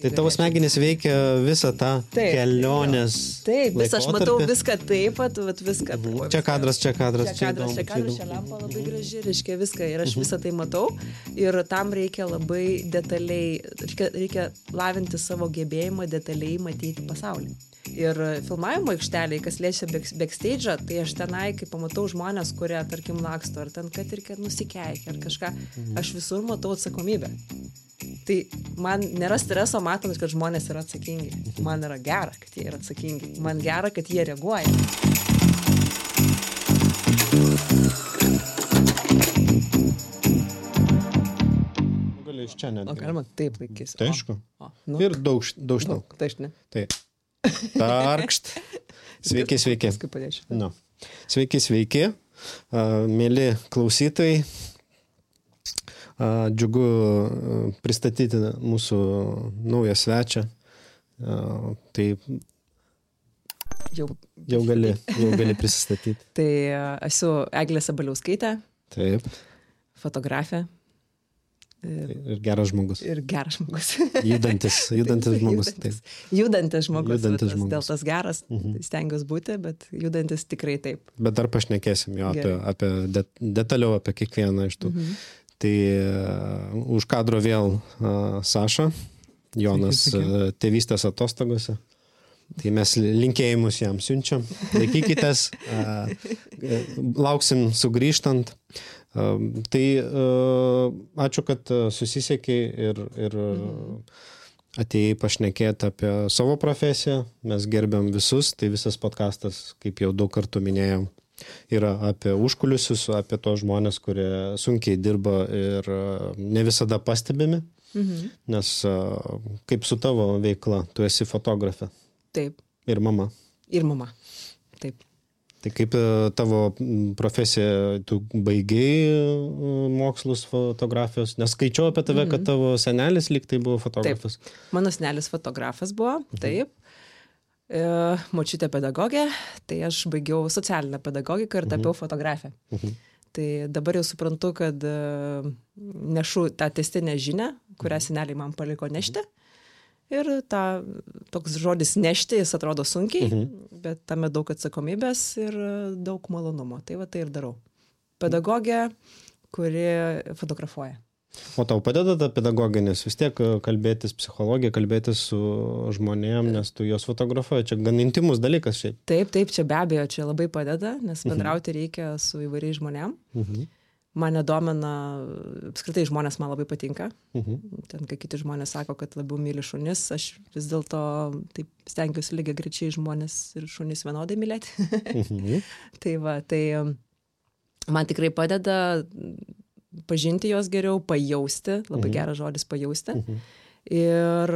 Tai tavo smegenys veikia visą tą kelionės. Taip, aš matau viską taip pat, viską. Čia kadras. Čia lempa labai graži, reiškia viską. Ir aš visą tai matau. Ir tam reikia labai detaliai, reikia lavinti savo gebėjimą detaliai matyti pasaulį. Ir filmavimo aikšteliai, kas liečia backstage'ą, tai aš tenai, kai pamatau žmonės, kurie, tarkim, laksto, ar ten, kad ir nusikeikia, ar kažką, aš visur matau atsakomybę. Tai man nėra streso matant, kad žmonės yra atsakingi. Man yra gera, kad jie yra atsakingi. Man gera, kad jie reaguoja. Gali iš čia netgi. O galima taip laikys. Tai aišku. Ir daug. Tai. Tarkšt. Sveiki. Kaip padėčiau. Sveiki. Mėly klausytojai. Džiugu pristatyti mūsų naują svečią. Tai jau gali prisistatyti. Tai esu Eglė Sabaliauskaitė. Taip. Fotografė. Ir geras žmogus. Judantis žmogus. Taip. Judantis žmogus. Dėl tas geras stengiuosi būti, bet judantis tikrai taip. Bet dar pašnekėsim jo detaliau apie kiekvieną iš tų. Tai už kadro vėl Saša, Jonas tėvystės atostogose. Tai mes linkėjimus jam siunčiam. Laikykitės, lauksim sugrįžtant. Tai ačiū, kad susisiekei ir atėjai pašnekėti apie savo profesiją. Mes gerbiam visus, tai visas podcastas, kaip jau daug kartų minėjau, yra apie užkulisius, apie tos žmonės, kurie sunkiai dirba ir ne visada pastebimi, nes kaip su tavo veikla, tu esi fotografė. Taip. Ir mama. Taip. Tai kaip tavo profesija, tu baigei mokslus fotografijos, nes skaičiau apie tave, kad tavo senelis lyg tai buvo fotografas. Taip. Mano senelis fotografas buvo, taip. Močiutė pedagogė, tai aš baigiau socialinę pedagogiką ir tapiau fotografę. Tai dabar jau suprantu, kad nešu tą tęstinę žinią, kurią seneliai man paliko nešti. Ir toks žodis nešti, jis atrodo sunkiai, bet tame daug atsakomybės ir daug malonumo. Tai tai ir darau. Pedagogė, kuri fotografuoja. O tau padeda ta pedagogė, nes vis tiek kalbėtis psichologija, kalbėtis su žmonėm, nes tu juos fotografuoji. Čia gan intimus dalykas šiaip. Taip, čia be abejo, čia labai padeda, nes bendrauti reikia su įvairiais žmonėm. Mane domina, apskritai žmonės man labai patinka. Ten, kai kiti žmonės sako, kad labiau myli šunis, aš vis dėlto taip stengiuosi lygiai grečiai žmonės ir šunis vienodai mylėti. Tai man tikrai padeda pažinti juos geriau, pajausti, labai geras žodis pajausti, ir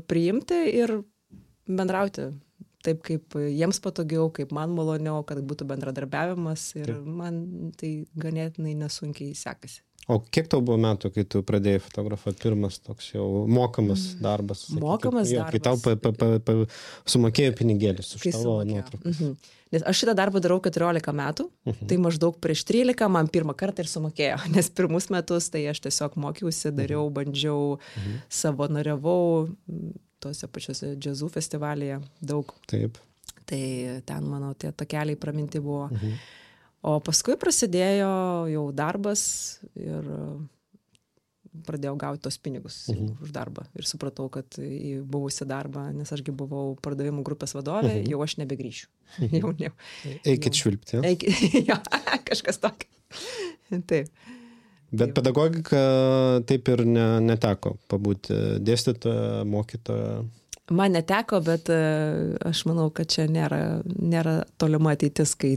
priimti ir bendrauti taip, kaip jiems patogiau, kaip man maloniau, kad būtų bendradarbiavimas ir man tai ganėtinai nesunkiai sekasi. O kiek tau buvo metų, kai tu pradėjai fotografuoti pirmas toks jau mokamas darbas? Mokamas darbas. Kai tau sumokėjo pinigėlis už tavo nuotraukas. Nes aš šitą darbą darau 14 metų, tai maždaug prieš 13 man pirmą kartą ir sumokėjo. Nes pirmus metus tai aš tiesiog mokiausi, dariau, bandžiau, savanoriavau tose pačiose džiazų festivalyje daug. Taip. Tai ten mano tie takeliai praminti buvo. O paskui prasidėjo jau darbas ir pradėjau gauti tos pinigus už darbą. Ir supratau, kad į buvusią darbą, nes ašgi buvau pardavimų grupės vadovė, jau aš nebegrįšiu. Eikit švilpti. Jo, kažkas tokio. Taip. Bet pedagogika taip ir neteko pabūti dėstytoja, mokytoja. Man neteko, bet aš manau, kad čia nėra tolima ateitis, kai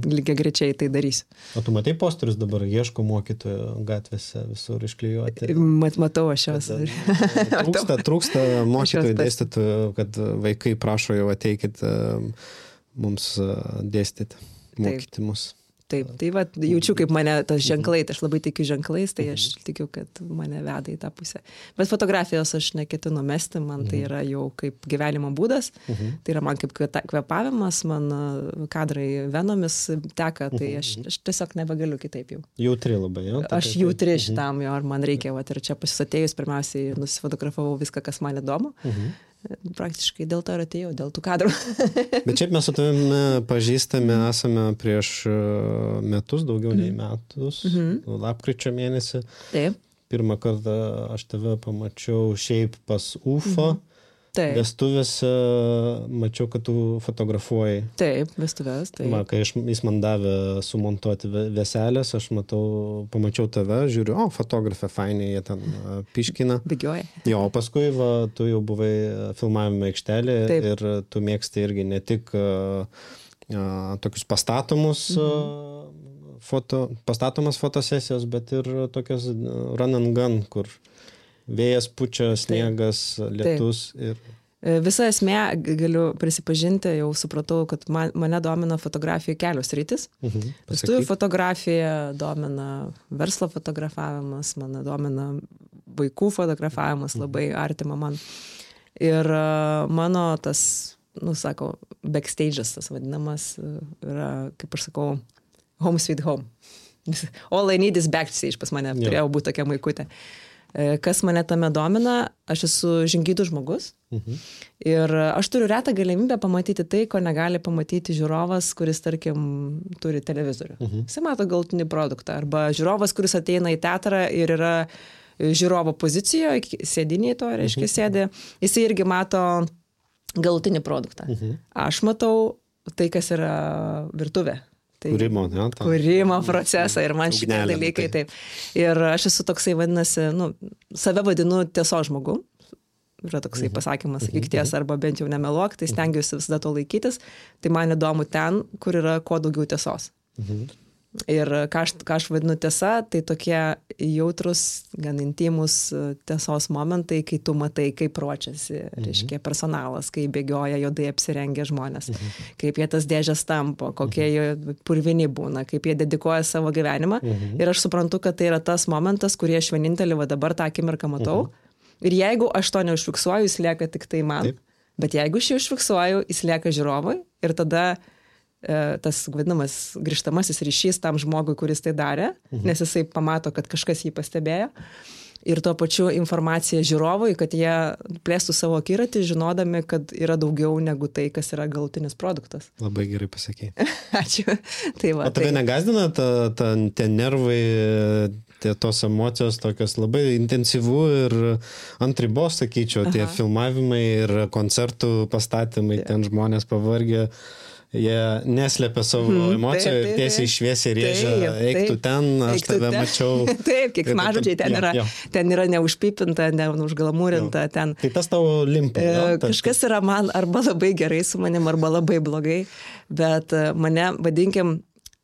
lygiai grečiai tai darysiu. O tu matai posterius dabar, ieško mokytojų gatvėse visur išklijuoti? Matau aš juos. Trūksta mokytojų dėstytojų, kad vaikai prašo jau ateikit mums dėstyti, mokyti mus. taip. Tai va, jaučiu, kaip mane tas ženklai, tai aš labai tikiu ženklais, tai aš tikiu, kad mane veda į tą pusę. Bet fotografijos aš neketinu mesti, man tai yra jau kaip gyvenimo būdas, tai yra man kaip kvėpavimas, man kadrai venomis teka, tai aš tiesiog nebegaliu kitaip jau. Jautri labai, jo? Aš jautri šitam jo, ar man reikia, va, ir čia pasisatėjus, pirmiausiai nusifotografavau viską, kas man įdomu. Praktiškai dėl to ir atėjau, dėl tų kadrų. Bet šiaip mes su tavimi pažįstami esame prieš metus, daugiau nei metus, lapkričio mėnesį. Taip. Pirmą kartą aš tave pamačiau šiaip pas UFO. Vestuvėse mačiau, kad tu fotografuoji. Taip, vestuvės, taip. Kai jis man davė sumontuoti veselės, aš pamačiau tave, žiūriu, fotografė, fainiai, jie ten piškina. Bėgioja. Jo, paskui tu jau buvai filmavimo aikštelė ir tu mėgsti irgi ne tik tokius pastatomas fotosesijos, bet ir tokias run and gun, kur vėjas pučia, sniegas, lietus. Visa esmė, galiu prisipažinti, jau supratau, kad mane domina fotografijų kelios rytis. Vestuvių fotografija, domina verslo fotografavimas, mane domina vaikų fotografavimas, labai artima man. Ir mano tas, backstage'as, tas vadinamas, yra, kaip aš sakau, home sweet home. All I need is backstage pas mane, turėjau būti tokia maikutė. Kas mane tame domina, aš esu žingeidus žmogus ir aš turiu retą galimybę pamatyti tai, ko negali pamatyti žiūrovas, kuris, tarkim, turi televizorių. Jis mato galutinį produktą. Arba žiūrovas, kuris ateina į teatrą ir yra žiūrovo pozicijoje, sėdiniai to, reiškia, sėdi, jis irgi mato galutinį produktą. Aš matau tai, kas yra virtuvė. Kūrimo procesą ir man šitie dalykai taip. Ir aš esu toksai, vadinasi, save vadinu tiesos žmogu. Yra toksai pasakymas, sakyk tiesą arba bent jau nemeluok, tai stengiuosi visada to laikytis. Tai man įdomu ten, kur yra kuo daugiau tiesos. Ir ką aš vadinu tiesa, tai tokie jautrus, gan intimus tiesos momentai, kai tu matai, kaip ruošiasi, reiškia, personalas, kai bėgioja juodai apsirengę žmonės, kaip jie tas dėžės tampo, kokie jie purvini būna, kaip jie dedikuoja savo gyvenimą. Ir aš suprantu, kad tai yra tas momentas, kurį aš vienintelį dabar tą akimirką matau. Ir jeigu aš to neužfiksuoju, jis lieka tik tai man. Bet jeigu aš jį užfiksuoju, jis lieka žiūrovui ir tada tas vadinamas grįžtamasis ryšys tam žmogui, kuris tai darė, nes jisai pamato, kad kažkas jį pastebėjo. Ir tuo pačiu informacija žiūrovui, kad jie plėstų savo akiratį, žinodami, kad yra daugiau negu tai, kas yra galutinis produktas. Labai gerai pasakei. Ačiū. Tai va, o tave negazdina tie nervai, tos emocijos tokios labai intensyvų ir ant ribos, sakyčiau, tie filmavimai ir koncertų pastatymai, ten žmonės pavargę. Jie neslėpia savo emocijų ir tiesiai šviesiai rėžia, eik tu ten, aš tave mačiau. Taip, kiek mažodžiai ten yra neužpipinta, neužglamūrinta. Ten. Tai tas tavo limpa. Kažkas yra man arba labai gerai su manim, arba labai blogai, bet mane vadinkim,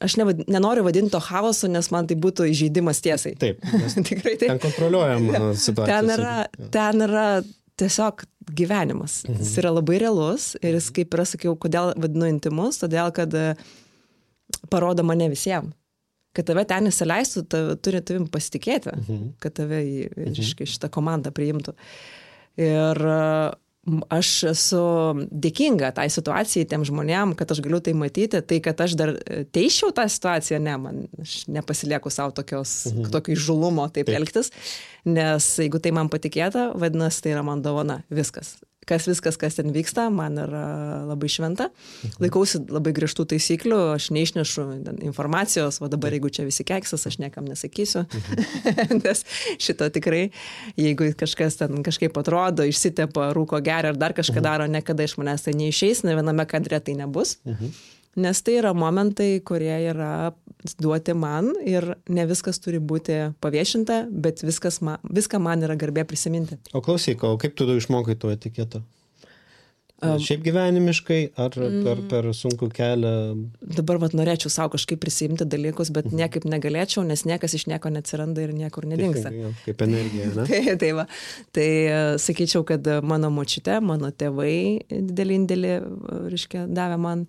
aš nenoriu vadinti to chaosu, nes man tai būtų įžeidimas tiesai. Taip, tikrai taip. Ten kontroliuojama situacija. Ten yra tiesiog gyvenimas. Jis yra labai realus ir jis, kaip ir sakiau, kodėl vadinu intimus, todėl, kad parodo mane visiems. Kad tave ten įsileistų, turi tavim pasitikėti, kad tave šitą komandą priimtų. Ir aš esu dėkinga tai situacijai, tiem žmonėm, kad aš galiu tai matyti, tai kad aš dar teisčiau tą situaciją, aš nepasilieku savo tokio įžulumo taip elgtis, nes jeigu tai man patikėta, vadinasi, tai yra man dovana, viskas. Kas ten vyksta, man yra labai šventa. Laikausi labai griežtų taisyklių, aš neišnešu informacijos, o dabar jeigu čia visi keksas, aš niekam nesakysiu. Nes šito tikrai, jeigu kažkas ten kažkaip atrodo, išsitepa, rūko geria ar dar kažką daro, niekada iš manęs tai neišeis, ne viename kadre tai nebus. Nes tai yra momentai, kurie yra duoti man ir ne viskas turi būti paviešinta, bet viską man yra garbė prisiminti. O klausyk, kaip tu išmokai to etiketo? Šiaip gyvenimiškai ar per sunkų kelią? Dabar norėčiau savo kažkaip prisimti dalykus, bet niekaip negalėčiau, nes niekas iš nieko neatsiranda ir niekur nedingsta. Kaip energija, ne? Tai sakyčiau, kad mano močiutė, mano tėvai didelį indėlį, reiškia, davė man.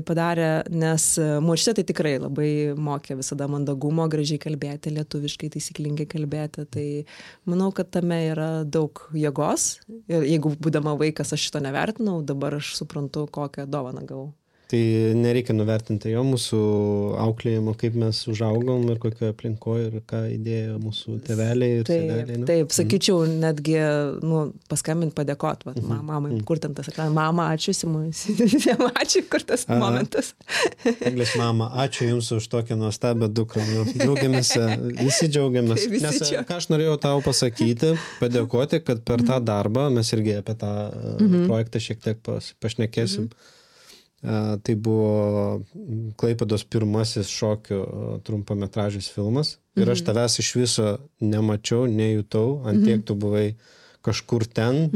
padarė, nes močiutė tai tikrai labai mokė visada mandagumo, gražiai kalbėti, lietuviškai taisyklingai kalbėti. Tai manau, kad tame yra daug jėgos. Ir jeigu būdama vaikas aš šito nevertinau, dabar aš suprantu, kokią dovaną gavau. Tai nereikia nuvertinti jo mūsų auklėjimo, kaip mes užaugom ir kokioje aplinkoje ir ką įdėjo mūsų tėveliai ir seneliai. Taip, sakyčiau, netgi paskambint, padėkot, mamai, kur ten tas ekranas, mama, ačiū, ačiū, kur tas momentas. Eglės mama, ačiū Jums už tokią nuostabią dukrą. Džiaugiamės, visi džiaugiamės. Nes ką aš norėjau tau pasakyti, padėkoti, kad per tą darbą, mes irgi apie tą projektą šiek tiek pašnekėsim. Tai buvo Klaipėdos pirmasis šokių trumpametražis filmas ir aš tavęs iš viso nemačiau, nejutau, ant tiek tu buvai kažkur ten.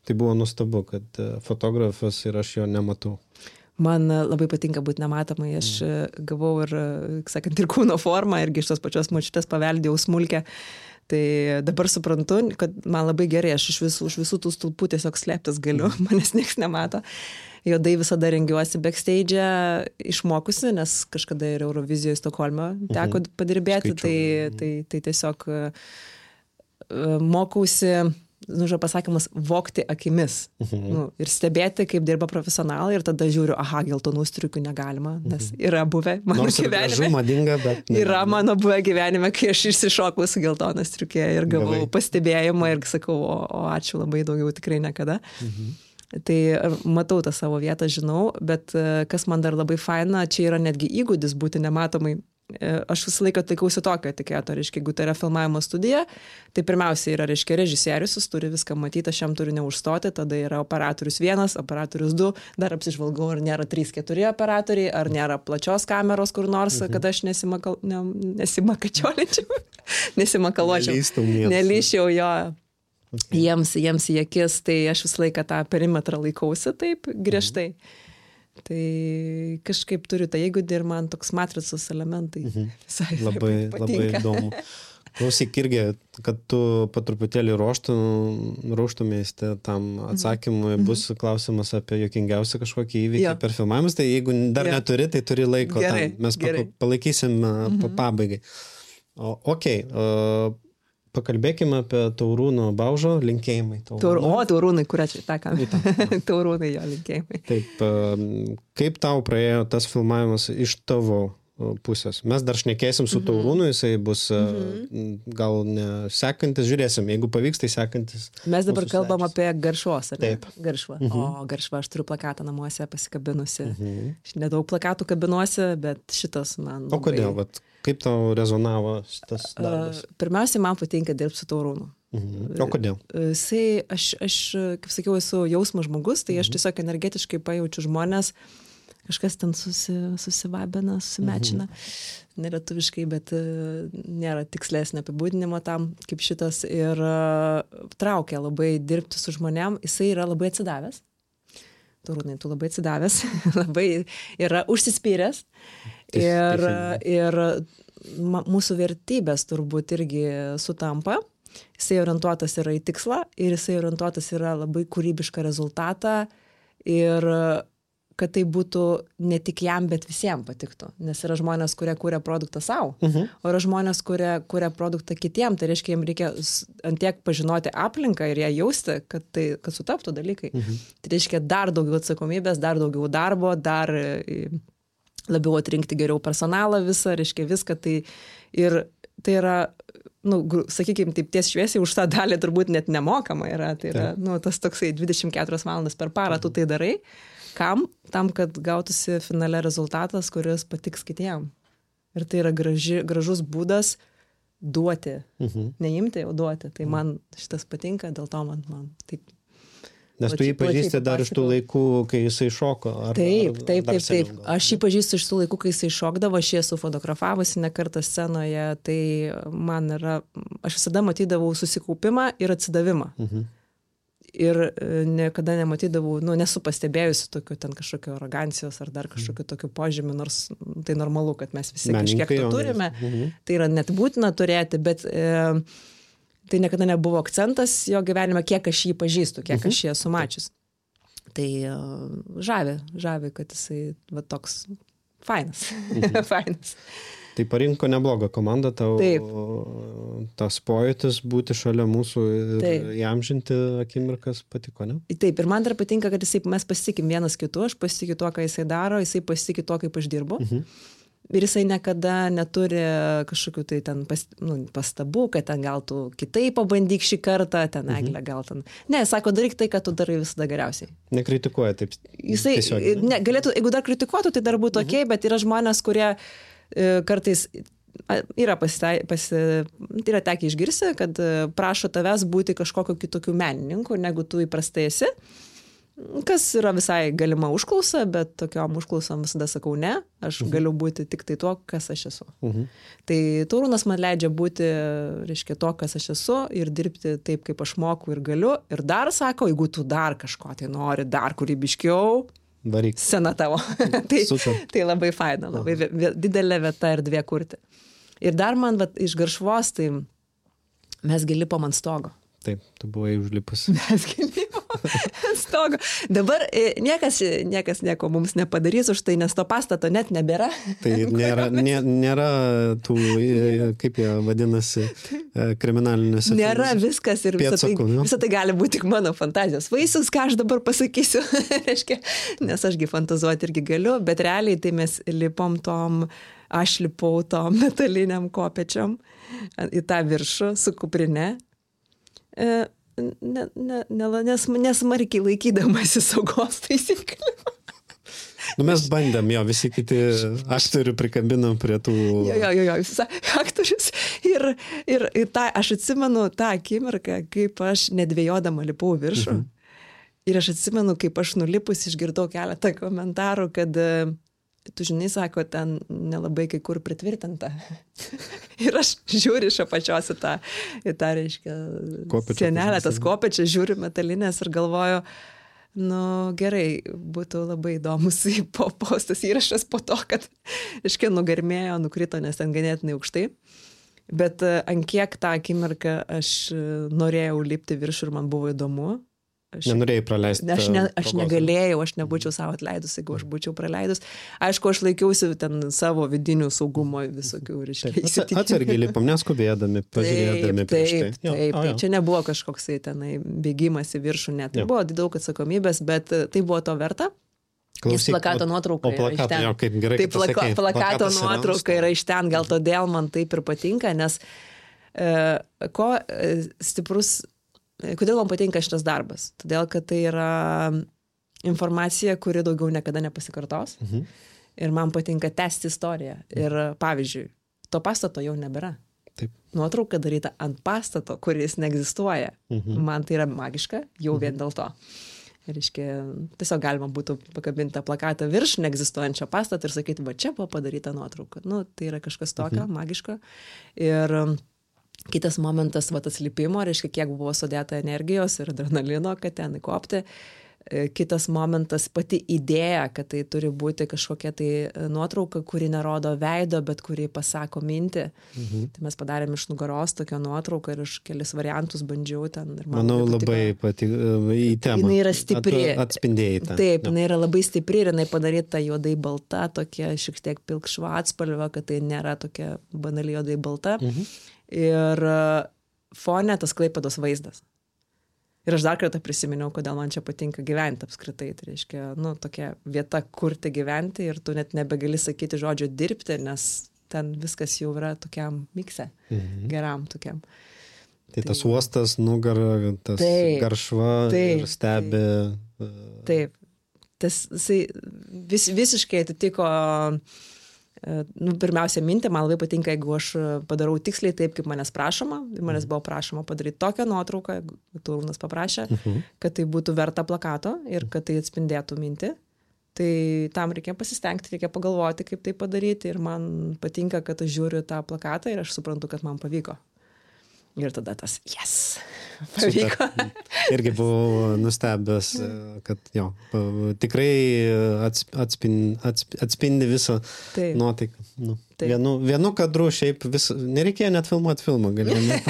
Tai buvo nuostabu, kad fotografas ir aš jo nematau. Man labai patinka būti nematomai, aš gavau ir, sakant, ir kūno formą, irgi iš tos pačios močiutės paveldėjau smulkę. Tai dabar suprantu, kad man labai gerai, aš už visų tų stulpų tiesiog slėptis galiu, manęs nieks nemato. Juodai visada rengiuosi backstage išmokusi, nes kažkada ir Eurovizijoje Stokholme teko padirbėti, tai tiesiog mokausi, pasakymas, vogti akimis ir stebėti, kaip dirba profesionalai ir tada žiūriu, geltonų striukių negalima, nes yra buvę mano gyvenime. Gražu, madinga, bet yra mano buvę gyvenime, kai aš išsišokau su geltoną striukė ir gavau pastebėjimą ir sakau, o ačiū labai, daugiau tikrai niekada. Tai matau tą savo vietą, žinau, bet kas man dar labai faina, čia yra netgi įgūdis būti nematomai. Aš visą laiką laikausi tokio etiketo, reiškia, jeigu tai yra filmavimo studija, tai pirmiausia yra, reiškia, režisierius, jis turi viską matyti, aš jam turiu neužstoti, tada yra operatorius 1, operatorius 2, dar apsižvalgau, ar nėra 3-4 operatoriai, ar nėra plačios kameros kur nors, kad aš neliščiau jo. Jiems į akis, tai aš visą laiką tą perimetrą laikausi taip griežtai. Tai kažkaip turiu tą įgūdį ir man toks matricos elementai visai labai įdomu. Klausyk irgi, kad tu patruputėlį ruoštumės tam atsakymui, bus klausimas apie juokingiausią kažkokį įvykį per filmavimus, tai jeigu dar neturi, tai turi laiko tam. Mes palaikysim pabaigai. Pakalbėkime apie Taurūno Baužo linkėjimai. Taurūnai, kurią čia takam. Taurūnai jo linkėjimai. Taip, kaip tau praėjo tas filmavimas iš tavo pusės? Mes dar šnekėsim su Taurūnu, jisai bus gal ne sekantis, žiūrėsim, jeigu pavyks, tai sekantis. Mes dabar kalbam apie Garšvos, ar ne? Taip. Garšva. O Garšva, aš turiu plakatą namuose pasikabinusi. Aš nedaug plakatų kabinuosi, bet šitas man labai... O kodėl? Kaip tau rezonavo šitas darbas? Pirmiausiai, man patinka dirbti su Taurūnu. O kodėl? Aš, kaip sakiau, esu jausmo žmogus, tai aš tiesiog energetiškai pajaučiu žmonės, kažkas ten susivabina, susimečina, nelietuviškai, bet nėra tikslesnio apibūdinimo tam, kaip šitas, ir traukia labai dirbti su žmonėm, jisai yra labai atsidavęs. Taurūnai, tu labai atsidavęs, labai yra užsispyręs ir mūsų vertybės turbūt irgi sutampa. Jisai orientuotas yra į tikslą ir jisai orientuotas yra labai kūrybišką rezultatą ir kad tai būtų ne tik jam, bet visiems patiktų. Nes yra žmonės, kurie kūrė produktą savo, o yra žmonės, kurie kūrė produktą kitiem. Tai reiškia, jiems reikia antiek pažinoti aplinką ir ją jausti, kad sutaptų dalykai. Tai reiškia dar daugiau atsakomybės, dar daugiau darbo, dar labiau atrinkti geriau personalą visą, reiškia viską. Ir tai yra, sakykime, taip ties šviesiai už tą dalį turbūt net nemokama yra. Tai yra, tas toksai 24 valandas per parą tu tai darai. Kam? Tam, kad gautųsi finale rezultatas, kuris patiks kitiem. Ir tai yra gražus būdas duoti. Neimti, o duoti. Tai man šitas patinka, dėl to man taip. Nes tu jį pažįsti dar iš tų laikų, kai jisai šoko. Taip. Aš jį pažįstu iš tų laikų, kai jisai šokdavo, aš jį esu fotografavusi ne kartą scenoje. Tai man yra, aš visada matydavau susikaupimą ir atsidavimą. Ir niekada nematydavau, nesu pastebėjusi tokio ten kažkokio arogancijos ar dar kažkokio tokio požymį, nors tai normalu, kad mes visi kažkiek to turime. Tai yra net būtina turėti, bet tai niekada nebuvo akcentas jo gyvenime, kiek aš jį pažįstu, kiek aš jį esu mačius. Tai žavi, kad jisai va toks fainas. Fainas. Tai parinko neblogą komandą, tau tas pojūtis būti šalia mūsų ir įamžinti akimirkas patiko, ne? Taip, ir man dar patinka, kad mes pasitikim vienas kitu, aš pasitikiu tuo, ką jisai daro, jisai pasitikiu tuo, kaip aš dirbu. Ir jisai niekada neturi kažkokių tai ten pastabų, kad ten gal tu kitaip pabandyk šį kartą, ten Eglė gal ten. Ne, sako, daryk tai, kad tu darai visada geriausiai. Nekritikuoja taip. Jisai, galėtų, jeigu dar kritikuotų, tai dar būtų okei, bet yra žmonės, kurie kartais yra yra tekę išgirsti, kad prašo tavęs būti kažkokio kitokių menininkų, negu tu įprastai esi. Kas yra visai galima užklausa, bet tokiom užklausom visada sakau ne, aš galiu būti tik tai tuo, kas aš esu. Tai Taurūnas man leidžia būti, reiškia, to, kas aš esu ir dirbti taip, kaip aš moku ir galiu. Ir dar sako, jeigu tu dar kažko tai nori, dar kūrybiškiau, varyk. Sena tavo. Tai labai faina, labai didelė vieta ir dvie kurti. Ir dar man iš Garšvos, tai mes gi lipom ant stogo. Taip, tu buvai užlipus. Mes gi lipom ant stogo. Dabar niekas nieko mums nepadarys už tai, nes to pastato net nebėra. Tai nėra tų, kaip jie vadinasi, kriminalinėse. Nėra viskas ir visą tai gali būti tik mano fantazijos vaisius, ką aš dabar pasakysiu. Nes ašgi fantazuoti irgi galiu, bet realiai tai mes lipom aš lipau tom metaliniam kopečiam į tą viršų su kuprine. Nesmarkiai laikydamasi saugos taisyklių. Mes bandėm, visi kiti aktorių prikabinam prie tų... Jo, aktorius. Ir aš atsimenu tą akimirką, kaip aš nedvėjodama lipau viršų. Ir aš atsimenu, kaip aš nulipus išgirdau keletą komentarų, kad tu žinai, sako, ten nelabai kai kur pritvirtinta. Ir aš žiūriu iš apačios į tą reiškia, sienelę, tas kopečias, žiūriu metalinės ir galvoju, gerai, būtų labai įdomus postas įrašas po to, kad, reiškia, nugarmėjo, nukrito, nes ten ganėtinai aukštai. Bet ant kiek tą akimirką aš norėjau lipti viršų ir man buvo įdomu. Nenorėjai praleisti. Aš negalėjau, aš nebūčiau savo atleidus, jeigu aš būčiau praleidus. Aišku, aš laikiausi ten savo vidinių saugumo visokių, reiškia. Atsargiai lipam, neskubėdami, pažiūrėdami prieš tai. Taip. Čia nebuvo kažkoksai tenai bėgimas į viršų, net. Tai buvo daug atsakomybės, bet tai buvo to verta. Jis plakato nuotrauka yra iš ten. Kaip gerai, tai plakato nuotrauka yra iš ten, gal todėl man taip ir patinka, nes ko stiprus... Kodėl man patinka šitas darbas? Todėl, kad tai yra informacija, kuri daugiau niekada nepasikartos. Ir man patinka tęsti istoriją. Ir pavyzdžiui, to pastato jau nebėra. Taip. Nuotrauka daryta ant pastato, kuris neegzistuoja. Man tai yra magiška, jau vien dėl to. Ir tiesiog galima būtų pakabinti tą plakatą virš neegzistuojančio pastato ir sakyti, va čia buvo padaryta nuotrauka. Tai yra kažkas tokio magiško. Ir kitas momentas, tas lipimo, reiškia, kiek buvo sudėta energijos ir adrenalino, kad ten įkopti. Kitas momentas, pati idėja, kad tai turi būti kažkokia tai nuotrauka, kuri nerodo veido, bet kuri pasako mintį. Tai mes padarėm iš nugaros tokią nuotrauką ir iš kelis variantus bandžiau ten. Manau, labai į temą. Jinai yra stipri. Atspindėjai tą. Taip, jinai yra labai stipri ir jinai padaryta juodai balta, tokia šiek tiek pilkšva atspalva, kad tai nėra tokia banaliai juodai balta. Ir fone tas Klaipėdos vaizdas. Ir aš dar kartą prisiminiau, kodėl man čia patinka gyventi apskritai. Tai reiškia, tokia vieta, kur te gyventi ir tu net nebegali sakyti žodžio dirbti, nes ten viskas jau yra tokiam mikse, geram tokiam. Tai tas uostas, nugara, tas Garšva ir stebi. Taip. Tas visiškai atitiko... pirmiausia mintį, man labai patinka, jeigu aš padarau tiksliai taip, kaip manęs prašoma. Manęs buvo prašoma padaryti tokią nuotrauką, Taurūnas paprašė, kad tai būtų verta plakato ir kad tai atspindėtų mintį. Tai tam reikia pasistengti, reikia pagalvoti, kaip tai padaryti ir man patinka, kad aš žiūriu tą plakatą ir aš suprantu, kad man pavyko. Ir tada tas, yes, pavyko. Irgi buvau nustebęs, kad jo, tikrai atspindi visą nuotaiką. Nu, vienu kadru šiaip nereikėjo net filmuoti filmą, galėjome.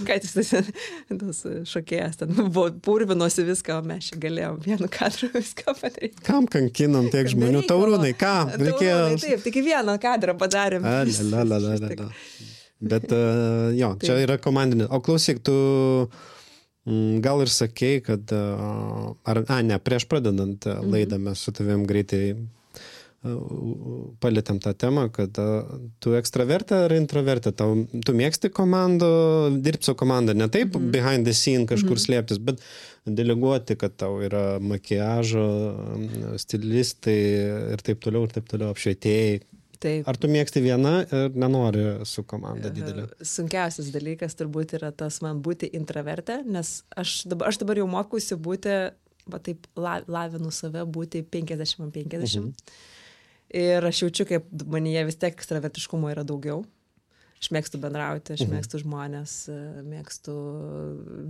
Kad jis tas šokėjas ten buvo purvinosi viską, o mes čia galėjom vienu kadru viską padaryti. Kam kankinam tiek žmonių? Taurūnai, kam? Taurūnai, taip, tik vieną kadrą padarėm. Bet jo, čia yra komandinė. O klausyk, tu gal ir sakei, kad prieš pradedant laidą mes su tavim greitai palėtėm tą temą, kad tu ekstravertė ar introvertė, tu mėgsti komandą, dirbti su komanda, ne taip behind the scene kažkur slėptis, bet deleguoti, kad tau yra makiažo, stilistai ir taip toliau, apšvietėjai. Taip. Ar tu mėgsti vieną ir nenori su komanda didelė? Sunkiausias dalykas turbūt yra tas man būti intravertė, nes aš dabar jau mokusi būti, taip lavinu save, būti 50-50. Ir aš jaučiu, kaip manyje vis tiek ekstravertiškumo yra daugiau. Aš mėgstu bendrauti, aš mėgstu žmonės, mėgstu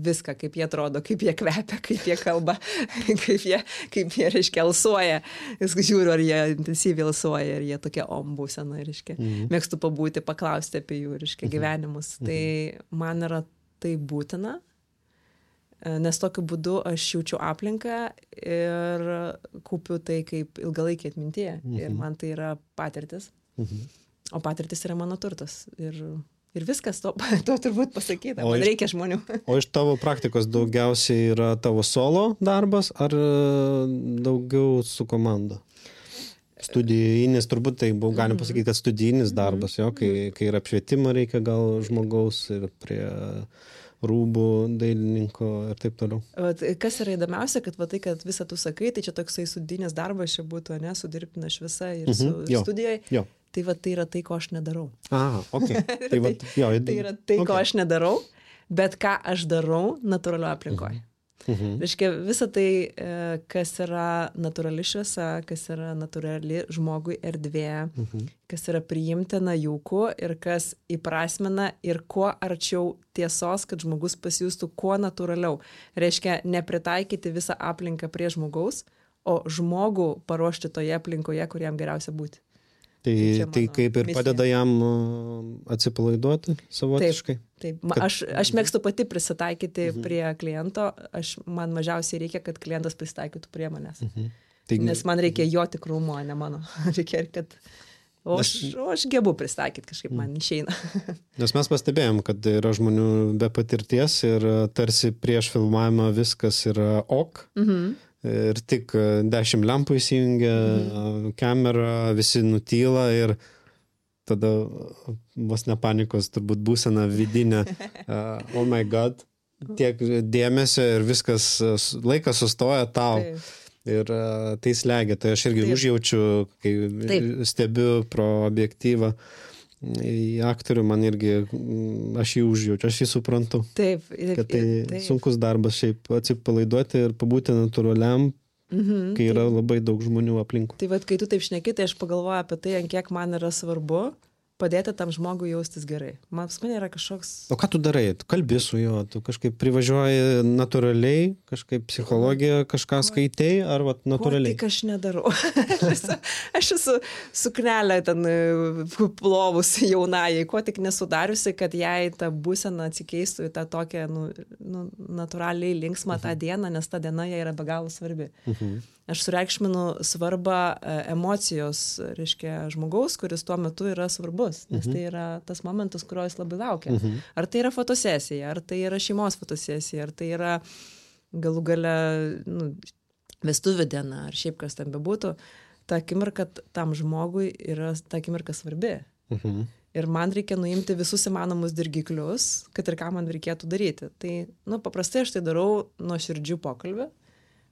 viską, kaip jie atrodo, kaip jie kvepia, kaip jie kalba, kaip jie, reiškia, alsuoja. Vis žiūriu, ar jie intensyviai alsuoja, ar jie tokie būsena, reiškia. Mėgstu pabūti, paklausti apie jų, reiškia, gyvenimus. Tai man yra tai būtina, nes tokiu būdu aš jaučiu aplinką ir kaupiu tai kaip ilgalaikį atmintyje. Ir man tai yra patirtis. O patirtis yra mano turtas. Ir viskas, to turbūt pasakyta. Man reikia žmonių. O iš tavo praktikos daugiausiai yra tavo solo darbas ar daugiau su komanda? Studijinis, turbūt tai galim pasakyti, kad studijinis darbas, jo, kai ir apšvietimą reikia gal žmogaus ir prie rūbų dailininko ir taip toliau. Kas yra įdomiausia, kad kad visą tu sakai, tai čia toksai studijinis darbas čia būtų, ne, su dirbtina šviesa ir su studijoje. Jo. Tai tai yra tai, ko aš nedarau. Okay. Tai yra tai, ko aš nedarau, bet ką aš darau natūralioje aplinkoje. Reiškia, visa tai, kas yra natūrali šviesa, kas yra natūrali žmogui erdvė, kas yra priimtina jauku ir kas įprasmina ir kuo arčiau tiesos, kad žmogus pasijustų kuo natūraliau. Reiškia, nepritaikyti visą aplinką prie žmogaus, o žmogų paruošti toje aplinkoje, kur jam geriausia būti. Tai kaip ir padeda jam atsipalaiduoti savotiškai? Taip. Aš mėgstu pati prisitaikyti prie kliento, man mažiausiai reikia, kad klientas prisitaikytų prie manęs. Nes man reikia jo tikrumo, ne mano. Reikia, kad... O aš gebu pristaikyti, kažkaip man išeina. Nes mes pastebėjom, kad yra žmonių be patirties ir tarsi prieš filmavimą viskas yra ok. Ir tik 10 lempų įsijungia, kamera, visi nutyla ir tada vos ne panikos turbūt būsena vidinė. Oh my god, tiek dėmesio ir viskas, laikas sustoja tau. Ir tai slegia. Tai aš irgi užjaučiu, kai stebiu pro objektyvą į aktorių, man irgi, aš jį užjaučiu, aš jį suprantu. Taip. Kad tai sunkus darbas šiaip atsipalaiduoti ir pabūti natūraliam, kai yra labai daug žmonių aplinkui. Tai kai tu taip šneki, tai aš pagalvoju apie tai, ant kiek man yra svarbu padėti tam žmogui jaustis gerai. Man yra kažkoks... O ką tu darai? Tu kalbi su juo, tu kažkaip privažiuoji natūraliai, kažkaip psichologiją kažką skaitai, ar natūraliai? Tik aš nedarau. Aš esu suknelę ten plovus jaunajai, ko tik nesudariusi, kad jai ta būsena atsikeistų į tą tokią natūraliai linksmą tą dieną, nes ta diena jai yra be galo svarbi. Aš sureikšminu svarbą emocijos, reiškia, žmogaus, kuris tuo metu yra svarbus, nes tai yra tas momentas, kurio jis labai laukia. Ar tai yra fotosesija, ar tai yra šeimos fotosesija, ar tai yra galų gale vestuvių diena, ar šiaip kas ten bebūtų, ta akimirka tam žmogui yra ta akimirka svarbi. Ir man reikia nuimti visus įmanomus dirgiklius, kad ir ką man reikėtų daryti. Tai, paprastai aš tai darau nuo širdžių pokalbį.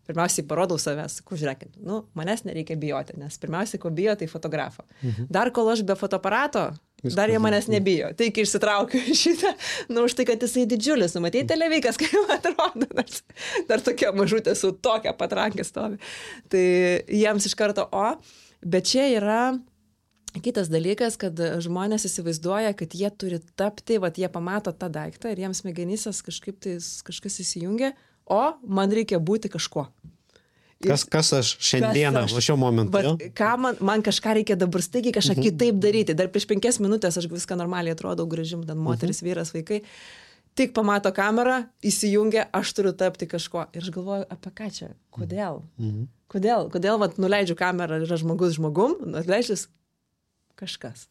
Pirmiausiai parodau savęs, žiūrėkit, manęs nereikia bijoti, nes pirmiausiai, ko bijo, tai fotografo. Dar kol aš be fotoaparato, dar jie manęs nebijo. Tai kai išsitraukiu šitą, už tai, kad jisai didžiulis, matei televikas, kaip atrodo, dar tokia mažutė su tokia patrankė stovi. Tai jiems iš karto, bet čia yra Kitas dalykas, kad žmonės įsivaizduoja, kad jie turi tapti, jie pamato tą daiktą ir jiems smegenysės kažkas įsijungia, o man reikia būti kažkuo. Kas aš šiandieną, šiuo momentu. Man kažką reikia dabar staigiai kažką kitaip daryti. Dar prieš 5 minutės aš viską normaliai atrodau gražim, ten moteris, vyras, vaikai. Tik pamato kamerą, įsijungia, aš turiu tapti kažkuo. Ir aš galvoju, apie ką čia? Kodėl? Kodėl nuleidžiu kamerą, yra žmogus žmogum, nuleidžiu kažkas.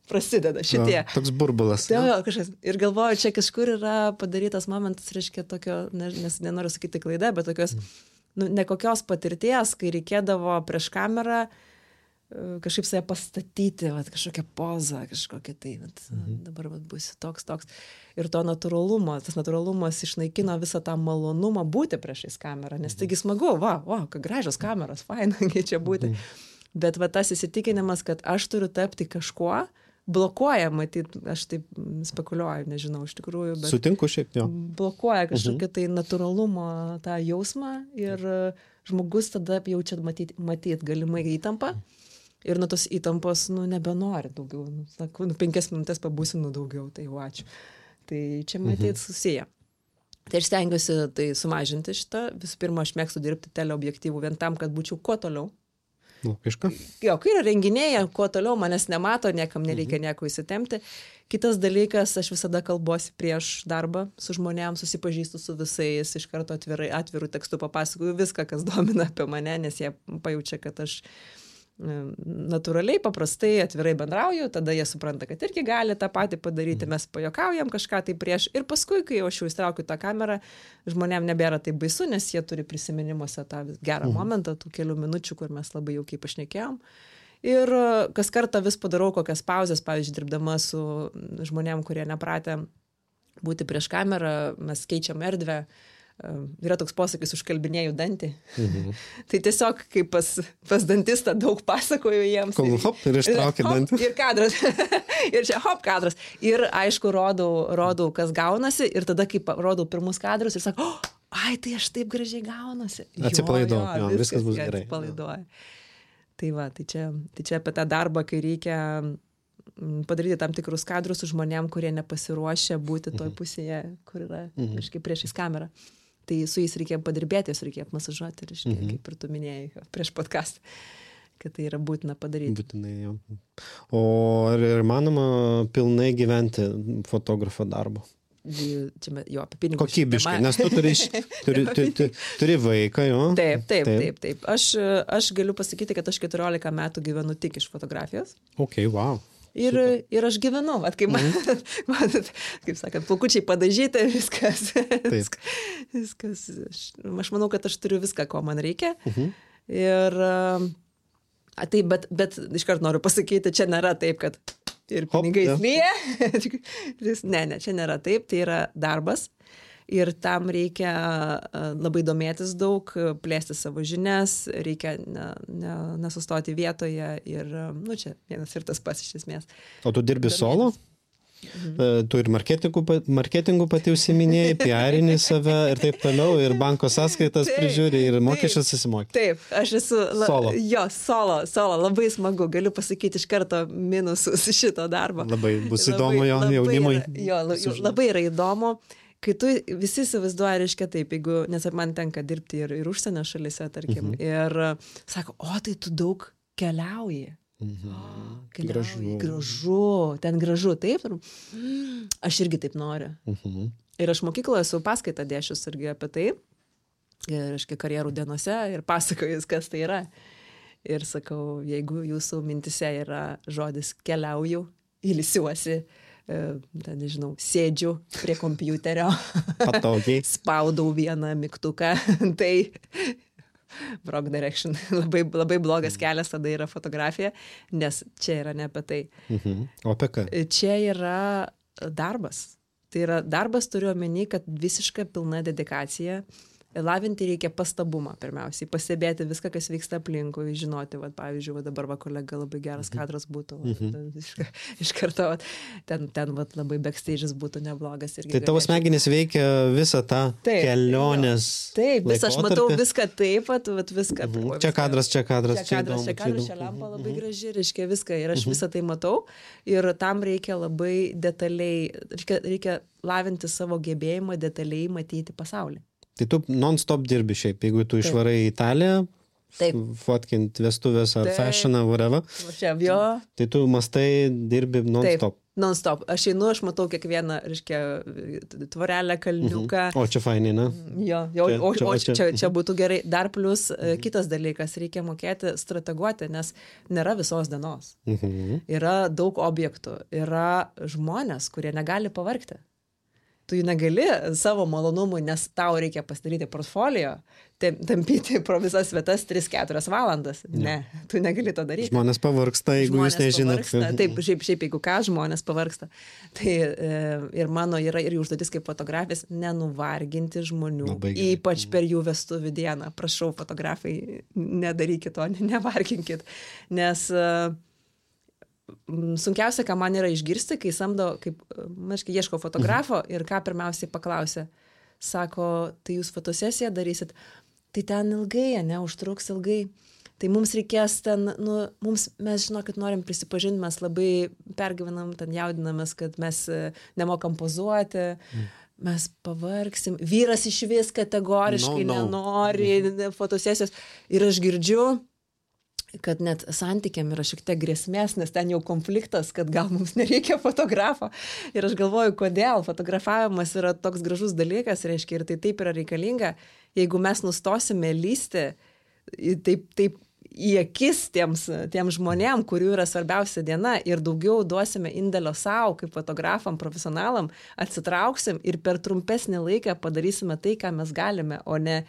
Prasideda šitie. Toks burbulas. Kažkas. Ir galvoju, čia kažkur yra padarytas momentas, reiškia tokio, nes nenoriu sakyti klaida, bet tokios nekokios patirties, kai reikėdavo prieš kamerą kažkaip save pastatyti, kažkokią pozą, kažkokią tai, dabar būsiu toks. Ir to tas natūralumas išnaikino visą tą malonumą būti priešais kamerą, nes taigi smagu, ką gražios kameros, faina, čia būti. Bet tas įsitikinimas, kad aš turiu tapti kažkuo, blokuoja, matyt, aš taip spekuliuoju, nežinau iš tikrųjų, bet sutinku šiaip jau. Blokuoja kažkokią tai natūralumo tą jausmą ir žmogus tada jaučia matyt galimai įtampą ir nuo tos įtampos, nebenori daugiau. Sako, 5 minutės pabūsiu, daugiau, tai ačiū. Tai čia matyt susiję. Tai aš stengiuosi tai sumažinti šitą. Visų pirma, aš mėgstu dirbti teleobjektyvų vien tam, kad būčiau kuo toliau. Logiška. Kai yra renginiai, kuo toliau manęs nemato, niekam nereikia nieko įsitempti. Kitas dalykas, aš visada kalbuosi prieš darbą su žmonėms, susipažįstu su visais, iš karto atvirų tekstų papasakoju viską, kas domina apie mane, nes jie pajaučia, kad aš natūraliai, paprastai, atvirai bendrauju, tada jie supranta, kad irgi gali tą patį padaryti, mes pajuokaujam kažką tai prieš ir paskui, kai aš jau įstraukiu tą kamerą, žmonėm nebėra taip baisu, nes jie turi prisiminimuose tą gerą momentą, tų kelių minučių, kur mes labai jaukiai pašnekėjom. Ir kas kartą vis padarau kokias pauzes, pavyzdžiui, dirbdama su žmonėm, kurie nepratę būti prieš kamerą, mes keičiam erdvę. Yra toks posakis, užkalbinėjau dantį. Tai tiesiog, kaip pas dantistą daug pasakoju jiems. Kol hop ir ištraukia dantį. Ir kadras. Ir čia hop kadras. Ir aišku, rodau, kas gaunasi. Ir tada, kai rodau pirmus kadrus ir sakau, ai, tai aš taip gražiai gaunasi. Atsipalaiduoju, viskas bus gerai. Atsipalaiduoju. Tai čia apie tą darbą, kai reikia padaryti tam tikrus kadrus su žmonėm, kurie nepasiruošia būti toj pusėje, kur yra kažkaip priešais kamerą. Tai su jais reikia padirbėti, jas reikia apmasažuoti, kaip ir tu minėjai prieš podcastą, kad tai yra būtina padaryti. Būtinai, jau. O ar įmanoma pilnai gyventi fotografo darbo? Čia jo, apie pinigus. Kokybiškai, nes tu turi vaiką, jo? Taip. Aš galiu pasakyti, kad aš 14 metų gyvenu tik iš fotografijos. Ok, wow. Ir aš gyvenu, kaip kaip sakant, plaukučiai padažyti, viskas. Aš manau, kad aš turiu viską, ko man reikia. Ir tai, bet iškart noriu pasakyti, čia nėra taip, kad ir pinigai lyja. Ne, čia nėra taip, tai yra darbas. Ir tam reikia labai domėtis daug, plėsti savo žinias, reikia nesustoti vietoje ir, čia vienas ir tas pats iš esmės. O tu dirbi solo? Tu ir marketingu pati užsiminėjai, PR-inį save ir taip toliau, ir banko sąskaitas prižiūri, ir mokesčius susimokė. Taip, aš esu solo. Jo, solo, labai smagu, galiu pasakyti iš karto minusus šito darbo. Labai bus įdomu jaunimui. Jo, labai yra įdomu. Kai tu visi įsivaizduoja, reiškia taip, nes man tenka dirbti ir užsienio šalyse, tarkim, ir sako, tai tu daug keliauji. Gražu, ten gražu, taip. Aš irgi taip noriu. Ir aš mokykloje esu paskaitą dėšius irgi apie tai, reiškia karjerų dienose ir pasakojus, kas tai yra. Ir sakau, jeigu jūsų mintise yra žodis keliauju, ilsiuosi, nežinau, sėdžiu prie kompiuterio, patogiai, spaudau vieną mygtuką, tai wrong direction, labai blogas kelias tada yra fotografija, nes čia yra ne apie tai. O apie ką? Čia yra darbas. Tai yra darbas, turiu omeny, kad visiška pilna dedikacija, lavinti reikia pastabumą pirmiausiai, pastebėti viską, kas vyksta aplinkui, žinoti, va, pavyzdžiui, va, dabar va, kolega labai geras kadras būtų, va, iš karto va, ten va, labai backstage'as būtų neblogas. Tai tavo smegenys veikia visą tą kelionės. Taip, aš matau viską taip, va, viską. Čia kadras, čia lempa labai graži, reiškia viską ir aš visą tai matau ir tam reikia labai detaliai, reikia lavinti savo gebėjimą detaliai matyti pasaulį. Tai tu non-stop dirbi šiaip, jeigu tu išvarai į Italiją, fotkint vestuvės ar fashioną, whatever, tai tu mastai dirbi non-stop. Taip, non-stop. Aš einu, aš matau kiekvieną, reiškia, tvorelę, kalniuką. O čia fainai, na? Jo, čia būtų gerai. Dar plus kitas dalykas, reikia mokėti strateguoti, nes nėra visos dienos. Yra daug objektų, yra žmonės, kurie negali pavargti. Tu jų negali savo malonumui, nes tau reikia pasidaryti portfolio, tampyti pro visas vietas 3-4 valandas. Ne, tu negali to daryti. Žmonės pavargsta, jeigu jūs nežinot. Taip, šiaip jeigu ką, žmonės pavargsta. Tai ir mano yra ir užduotis kaip fotografės nenuvarginti žmonių, ypač per jų vestuvių dieną. Prašau, fotografai, nedarykit to, nevarginkit. Nes sunkiausia, ką man yra išgirsti, kai samdo, kaip, ieško fotografo ir ką pirmiausiai paklausė. Sako, tai jūs fotosesiją darysit, tai ten ilgai, užtruks ilgai. Tai mums reikės ten, mes žinokit, norim prisipažinti, mes labai pergyvenam, ten jaudinamės, kad mes nemokam pozuoti, mes pavargsim. Vyras iš vis kategoriškai nenori fotosesijos. Ir aš girdžiu, kad net santykiam yra šiek tiek grėsmės, nes ten jau konfliktas, kad gal mums nereikia fotografo. Ir aš galvoju, kodėl fotografavimas yra toks gražus dalykas, reiškia, ir tai taip yra reikalinga, jeigu mes nustosime lysti taip į akis tiems žmonėm, kurių yra svarbiausia diena ir daugiau duosime indėlio savo kaip fotografam, profesionalam, atsitrauksim ir per trumpesnį laiką padarysime tai, ką mes galime, o ne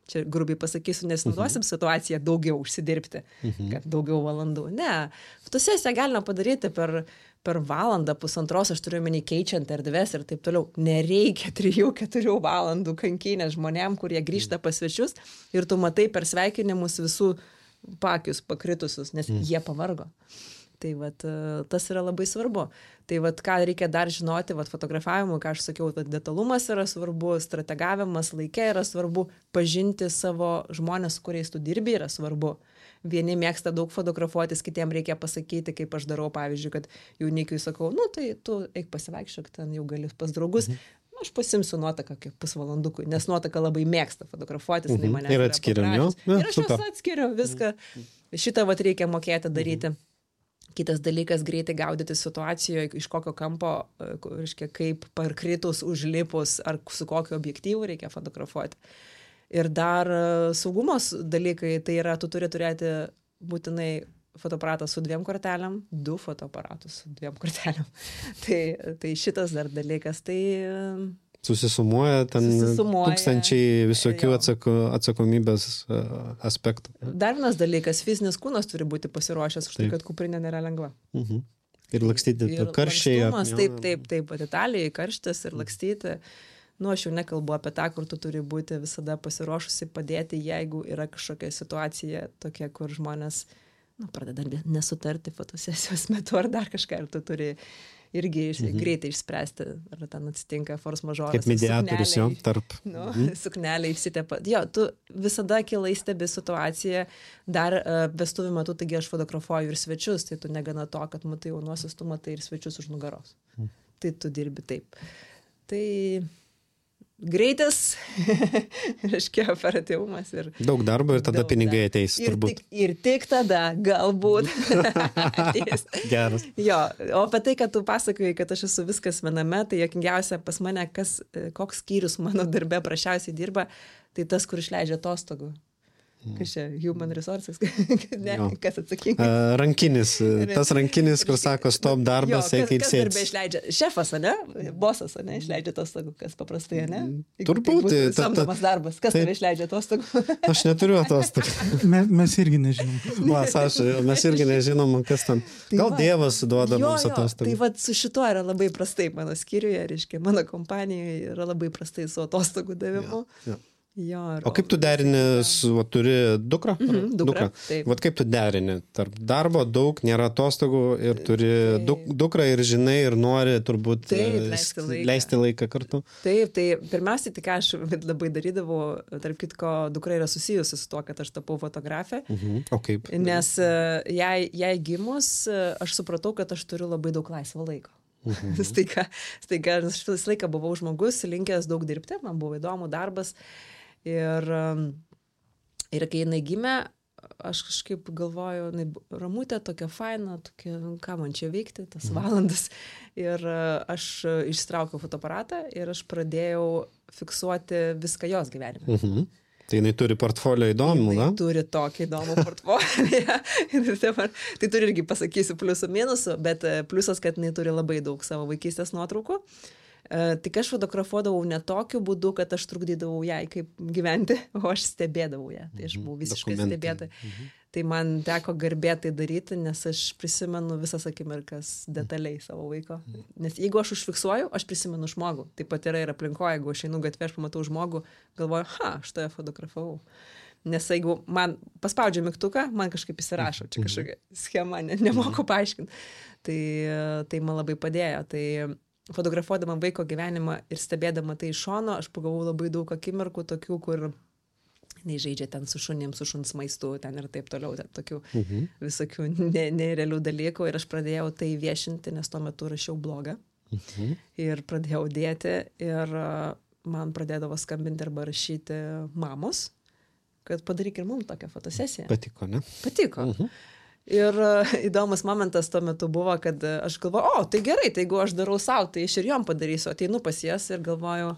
čia grubiai pasakysiu, nesinaudosim situaciją daugiau užsidirbti, kad daugiau valandų. Ne, fotosesiją galima padaryti per valandą, pusantros, aš turiu omeny keičiant erdves ir taip toliau. Nereikia 3-4 valandų kankinės žmonėm, kurie grįžta pas svečius ir tu matai per sveikinimus visų pakius pakritusius, nes jie pavargo. Tai vat, tas yra labai svarbu. Tai vat, ką reikia dar žinoti, vat, fotografavimu, ką aš sakiau, vat, detalumas yra svarbu, strategavimas laike yra svarbu, pažinti savo žmonės, su kuriais tu dirbi, yra svarbu. Vieni mėgsta daug fotografuotis, kitiem reikia pasakyti, kaip aš darau, pavyzdžiui, kad jaunikiui sakau, tai tu eik pasivaikščiok, ten jau gali pas draugus. Aš pasimsiu nuotaką kaip pusvalandukui, nes nuotaka labai mėgsta fotografuotis. Ir atskiriam jau. Ir aš juos atskiriu viską. Šitą vat reikia mokėti daryti. Kitas dalykas - greitai gaudyti situacijoje, iš kokio kampo, reiškia, kaip parkritus, užlipus, ar su kokiu objektyvu reikia fotografuoti. Ir dar saugumos dalykai, tai yra, tu turi turėti būtinai fotoaparatą su 2 kortelėm, 2 fotoaparatus su 2 kortelėm. Tai šitas dar dalykas, tai... Susisumuoja tūkstančiai visokių atsakomybės aspektų. Dar vienas dalykas, fizinis kūnas turi būti pasiruošęs už tai, kad kuprinė nėra lengva. Ir lakstyti karščiai. Taip, Italijai karštis ir lakstyti. Aš jau nekalbu apie tą, kur tu turi būti visada pasiruošusi padėti, jeigu yra kažkokia situacija tokia, kur žmonės pradeda nesutarti fotosesijos metu ar dar kažką, ir tu turi irgi greitai išspręsti, ar ten atsitinka force majeure. Kaip mediatorius, tarp. Suknelė išsitepa. Tu visada akylai stebi situaciją, dar vestuvių metu, taigi aš fotografuoju ir svečius, tai tu negana to, kad matai jaunuosius, tu matai ir svečius už nugaros. Tai tu dirbi taip. Tai greitis, reiškia operatyvumas ir... Daug darbo ir tada pinigai ateis, turbūt. Ir tik tada, galbūt, ateis. Geras. Jo, o apie tai, kad tu pasakojai, kad aš esu viskas viename, tai juokingiausia pas mane, koks skyrius mano darbe prašiausiai dirba, tai tas, kur išleidžia atostogų. Kas čia, human resources? Ne, kas atsakingas? Rankinis, tas rankinis, kur sako, stop darbas, eik ir sėdės. Kas išleidžia? Šefas, ne? Bosas, ne? Išleidžia atostogų, kas paprastai, ne? Turbūt. Samdomas darbas, kas tave išleidžia atostogų? Aš neturiu atostogų. Mes irgi nežinom. Va, Saša, mes irgi nežinom, kas ten. Gal Dievas duoda mums atostogų. Tai va, su šituo yra labai prastai mano skyriuje, reiškia, mano kompanijoje yra labai prastai su atostogų davimu. Jo, o kaip tu derini, turi dukrą? Dukrą. Vat kaip tu derini? Tarp darbo daug, nėra atostogų ir turi dukrą ir žinai ir nori turbūt leisti laiką kartu. Taip, tai pirmiausiai, tai ką aš labai darydavau, tarp kitko, dukra yra susijusi su to, kad aš tapau fotografė. O kaip? Nes jai gimus, aš supratau, kad aš turiu labai daug laisvo laiko. Staiga, aš visą laiką buvau žmogus, linkęs daug dirbti, man buvo įdomu darbas. Ir kai jinai gimė, aš kažkaip galvoju, ramutė tokia faina, tokia, ką man čia veikti, tas valandas. Ir aš išsitraukiau fotoaparatą ir aš pradėjau fiksuoti viską jos gyvenime. Tai jinai turi portfolio įdomų, na? Turi tokį įdomų portfolio. Tai turi irgi, pasakysiu, pliusų minusų, bet pliusas, kad jinai turi labai daug savo vaikystės nuotraukų. Tik aš fotografuodavau ne tokiu būdu, kad aš trukdydavau jai kaip gyventi, o aš stebėdavau ją. Tai aš buvau visiškai stebėta. Tai man teko garbėtai daryti, nes aš prisimenu visas akimirkas detaliai savo vaiko. Nes jeigu aš užfiksuoju, aš prisimenu žmogų. Taip pat yra ir aplinkoje, jeigu aš einu gatvę, aš pamatau žmogų, galvoju, aš tave fotografavau. Nes jeigu man paspaudžia mygtuką, man kažkaip įsirašo, čia kažkokia schema, nemoku paaiškinti. Tai man labai padėjo. Tai fotografuodama vaiko gyvenimą ir stebėdama tai iš šono, aš pagavau labai daug akimirkų tokių, kur žaidžia ten su šunim, su šuns maistu, ten ir taip toliau, ten tokių visokių nerealių dalykų. Ir aš pradėjau tai viešinti, nes tuo metu rašiau blogą. Ir pradėjau dėti ir man pradėdavo skambinti arba rašyti mamos, kad padaryk ir mums tokią fotosesiją. Patiko, ne? Patiko. Ir įdomus momentas tuo metu buvo, kad aš galvoju, tai gerai, tai jeigu aš darau savo, tai aš ir jom padarysiu. Ateinu pas jas ir galvoju,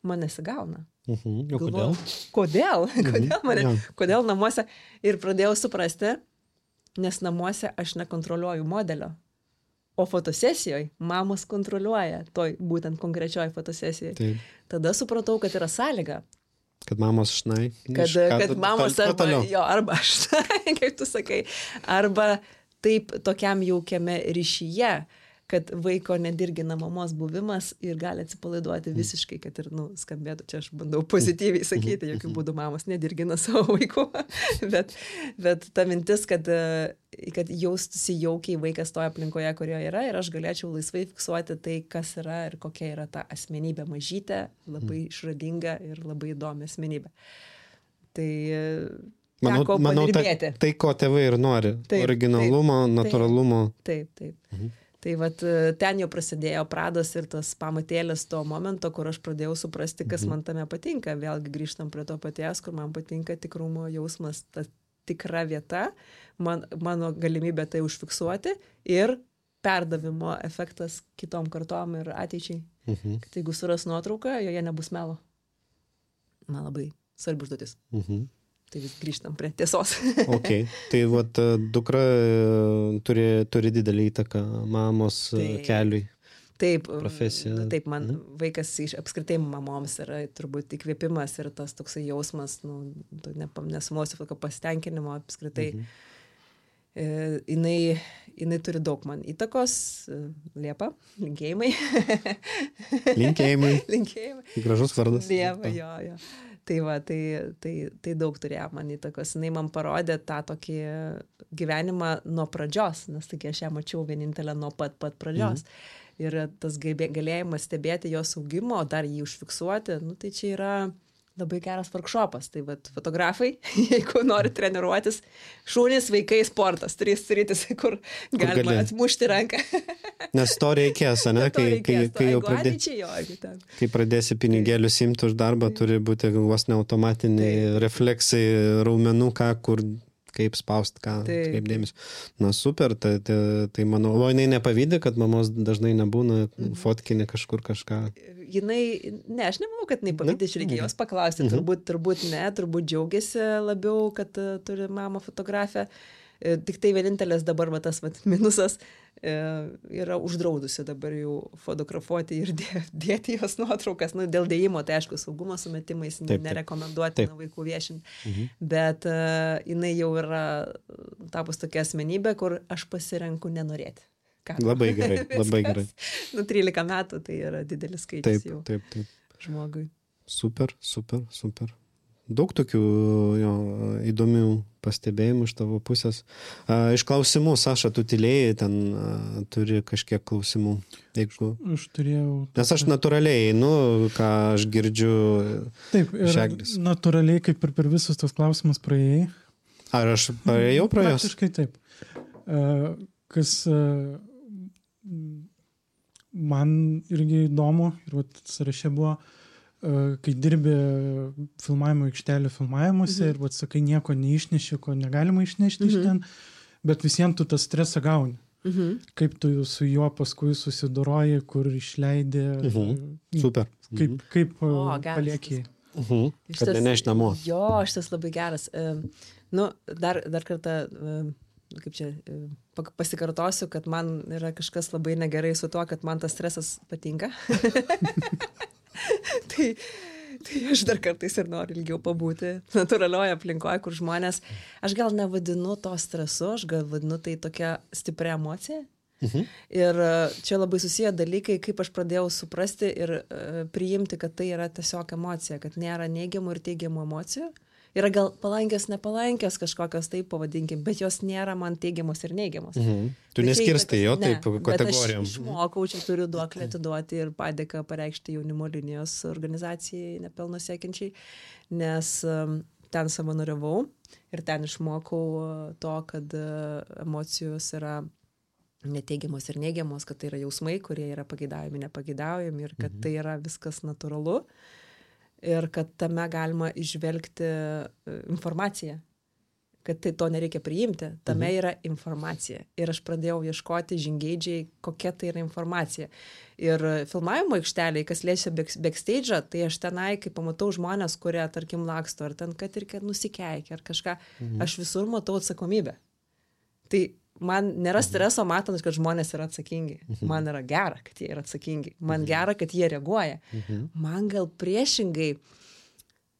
man nesigauna. Galvoju, kodėl? Kodėl namuose? Ir pradėjau suprasti, nes namuose aš nekontroliuoju modelio. O fotosesijoje mamos kontroliuoja toj būtent konkrečioj fotosesijoje. Taip. Tada supratau, kad yra sąlyga. Kad mamos šnai. Kad mamos arba šnai, kaip tu sakai, arba taip tokiam jaukiame ryšyje, kad vaiko nedirgina mamos buvimas ir gali atsipalaiduoti visiškai, kad ir, skambėtų, čia aš bandau pozityviai sakyti, jokių būdų mamos nedirgina savo vaikų, bet ta mintis, kad jaustųsi jaukiai vaikas toje aplinkoje, kurioje yra, ir aš galėčiau laisvai fiksuoti tai, kas yra ir kokia yra ta asmenybė mažytė, labai išradinga ir labai įdomi asmenybė. Tai manau, tai, ko tėvai ir nori. Taip, originalumo, natūralumo. Taip. Tai vat ten jau prasidėjo pradas ir tas pamatėlis to momento, kur aš pradėjau suprasti, kas man tame patinka. Vėlgi grįžtam prie to paties, kur man patinka tikrumo jausmas, ta tikra vieta, mano galimybė tai užfiksuoti ir perdavimo efektas kitom kartom ir ateičiai. Kad jeigu suras nuotrauką, joje nebus melo. Man labai svarbi užduotis. Tai vis grįžtam prie tiesos. Ok, tai vat dukra turi didelį įtaką mamos keliui. Taip, profesija. Taip, man vaikas apskritai mamoms yra turbūt įkvėpimas ir tas toksai jausmas, nesumosiu tokio pasitenkinimo apskritai. Jinai turi daug man įtakos. Liepa, linkėjimai. Linkėjimai. Gražus vardas. Liepa, jo. Tai va, tai daug turėjo man įtakos. Jinai man parodė tą tokį gyvenimą nuo pradžios, nes taigi aš ją mačiau vienintelę nuo pat pradžios. Ir tas galėjimas stebėti jos augimo, dar jį užfiksuoti, tai čia yra labai geras workshopas. Tai vat fotografai, jeigu nori treniruotis, šunys, vaikai, sportas, 3 sritis, kur galima atmušti ranką. Nes to reikės, ne? Kai pradėsi pinigėlius imti už darbą, turi būti vos ne automatiniai refleksai raumenų, kur kaip spaust, kaip dėmesį. Na super, tai manau, o jinai nepavydi, kad mamos dažnai nebūna fotkinė kažkur kažką. Aš nemanau, kad jinai pavydi, reikia jos paklausti, turbūt ne, turbūt džiaugiasi labiau, kad turi mamą fotografę. Tik tai vienintelis dabar tas minusas yra uždraudusi dabar jau fotografuoti ir dėti jos nuotraukas. Dėl dėjimo, tai aišku, saugumo sumetimais nerekomenduotina vaikų viešinti. Bet jinai jau yra tapus tokia asmenybė, kur aš pasirenku nenorėti. Labai gerai, labai gerai. 13 metų tai yra didelis skaičius jau žmogui. Super. Daug tokių įdomių pastebėjimų iš tavo pusės. Iš klausimų, Saša, tu tylėjai, ten turi kažkiek klausimų. Aš turėjau... Nes aš natūraliai einu, ką aš girdžiu. Taip, ir natūraliai, kaip ir per visus tos klausimus praėjai. Ar aš praėjau pro jos? Praktiškai taip. Kas man irgi įdomu, ir sąraše buvo, kai dirbi filmavimo aikštelė filmavimuose ir sakai, nieko neišneši, ko negalima išnešti iš ten, bet visiems tu tą stresą gauni. Kaip tu su juo paskui susidoroji, kur išleidi. Super. Kaip paliekiai. Kad neneš namo. Jo, šitas labai geras. Dar kartą, kaip čia, pasikartosiu, kad man yra kažkas labai negerai su tuo, kad man tas stresas patinka. Tai aš dar kartais ir noriu ilgiau pabūti natūralioje aplinkoje, kur žmonės, aš gal nevadinu to stresu, aš gal vadinu tai tokia stipria emocija. Ir čia labai susiję dalykai, kaip aš pradėjau suprasti ir priimti, kad tai yra tiesiog emocija, kad nėra neigiamų ir teigiamų emocijų. Yra gal palankės, nepalankės kažkokios, taip pavadinkim, bet jos nėra man teigiamos ir neigiamos. Tu neskirstai jo taip kategorijom. Bet aš išmokau, čia turiu duoklę atiduoti ir padėką pareikšti jaunimo linijos organizacijai nepelno siekiančiai, nes ten savanoriavau ir ten išmokau to, kad emocijos yra neteigiamos ir neigiamos, kad tai yra jausmai, kurie yra pageidaujami, nepageidaujami ir kad tai yra viskas natūralu. Ir kad tame galima išvelgti informaciją, kad tai to nereikia priimti, tame yra informacija. Ir aš pradėjau ieškoti žingeidžiai, kokia tai yra informacija. Ir filmavimo aikšteliai, kas liečia backstage'ą, tai aš tenai, kai pamatau žmonės, kurie, tarkim, laksto, ar ten, kad ir kad nusikeikia, ar kažką, aš visur matau atsakomybę. Tai man nėra streso matant, kad žmonės yra atsakingi. Man yra gera, kad jie yra atsakingi. Man gera, kad jie reaguoja. Man gal priešingai,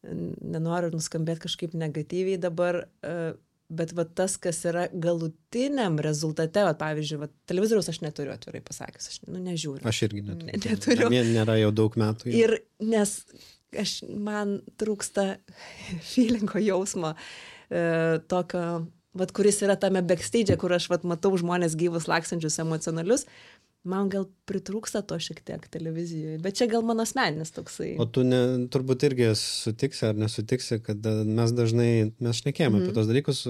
nenoriu nuskambėti kažkaip negatyviai dabar, bet tas, kas yra galutiniam rezultate, pavyzdžiui, televizoriaus aš neturiu, atvirai pasakius, aš nežiūriu. Aš irgi neturiu. Nėra jau daug metų. Jau. Ir nes man trūksta feelingo jausmo, tokio, kuris yra tame backstage, kur aš matau žmonės gyvus, lakstančius, emocionalius, man gal pritrūksta to šiek tiek televizijoje, bet čia gal mano asmeninis toksai. O tu turbūt irgi sutiksi ar nesutiksi, kad mes šnekėjome apie tos dalykus,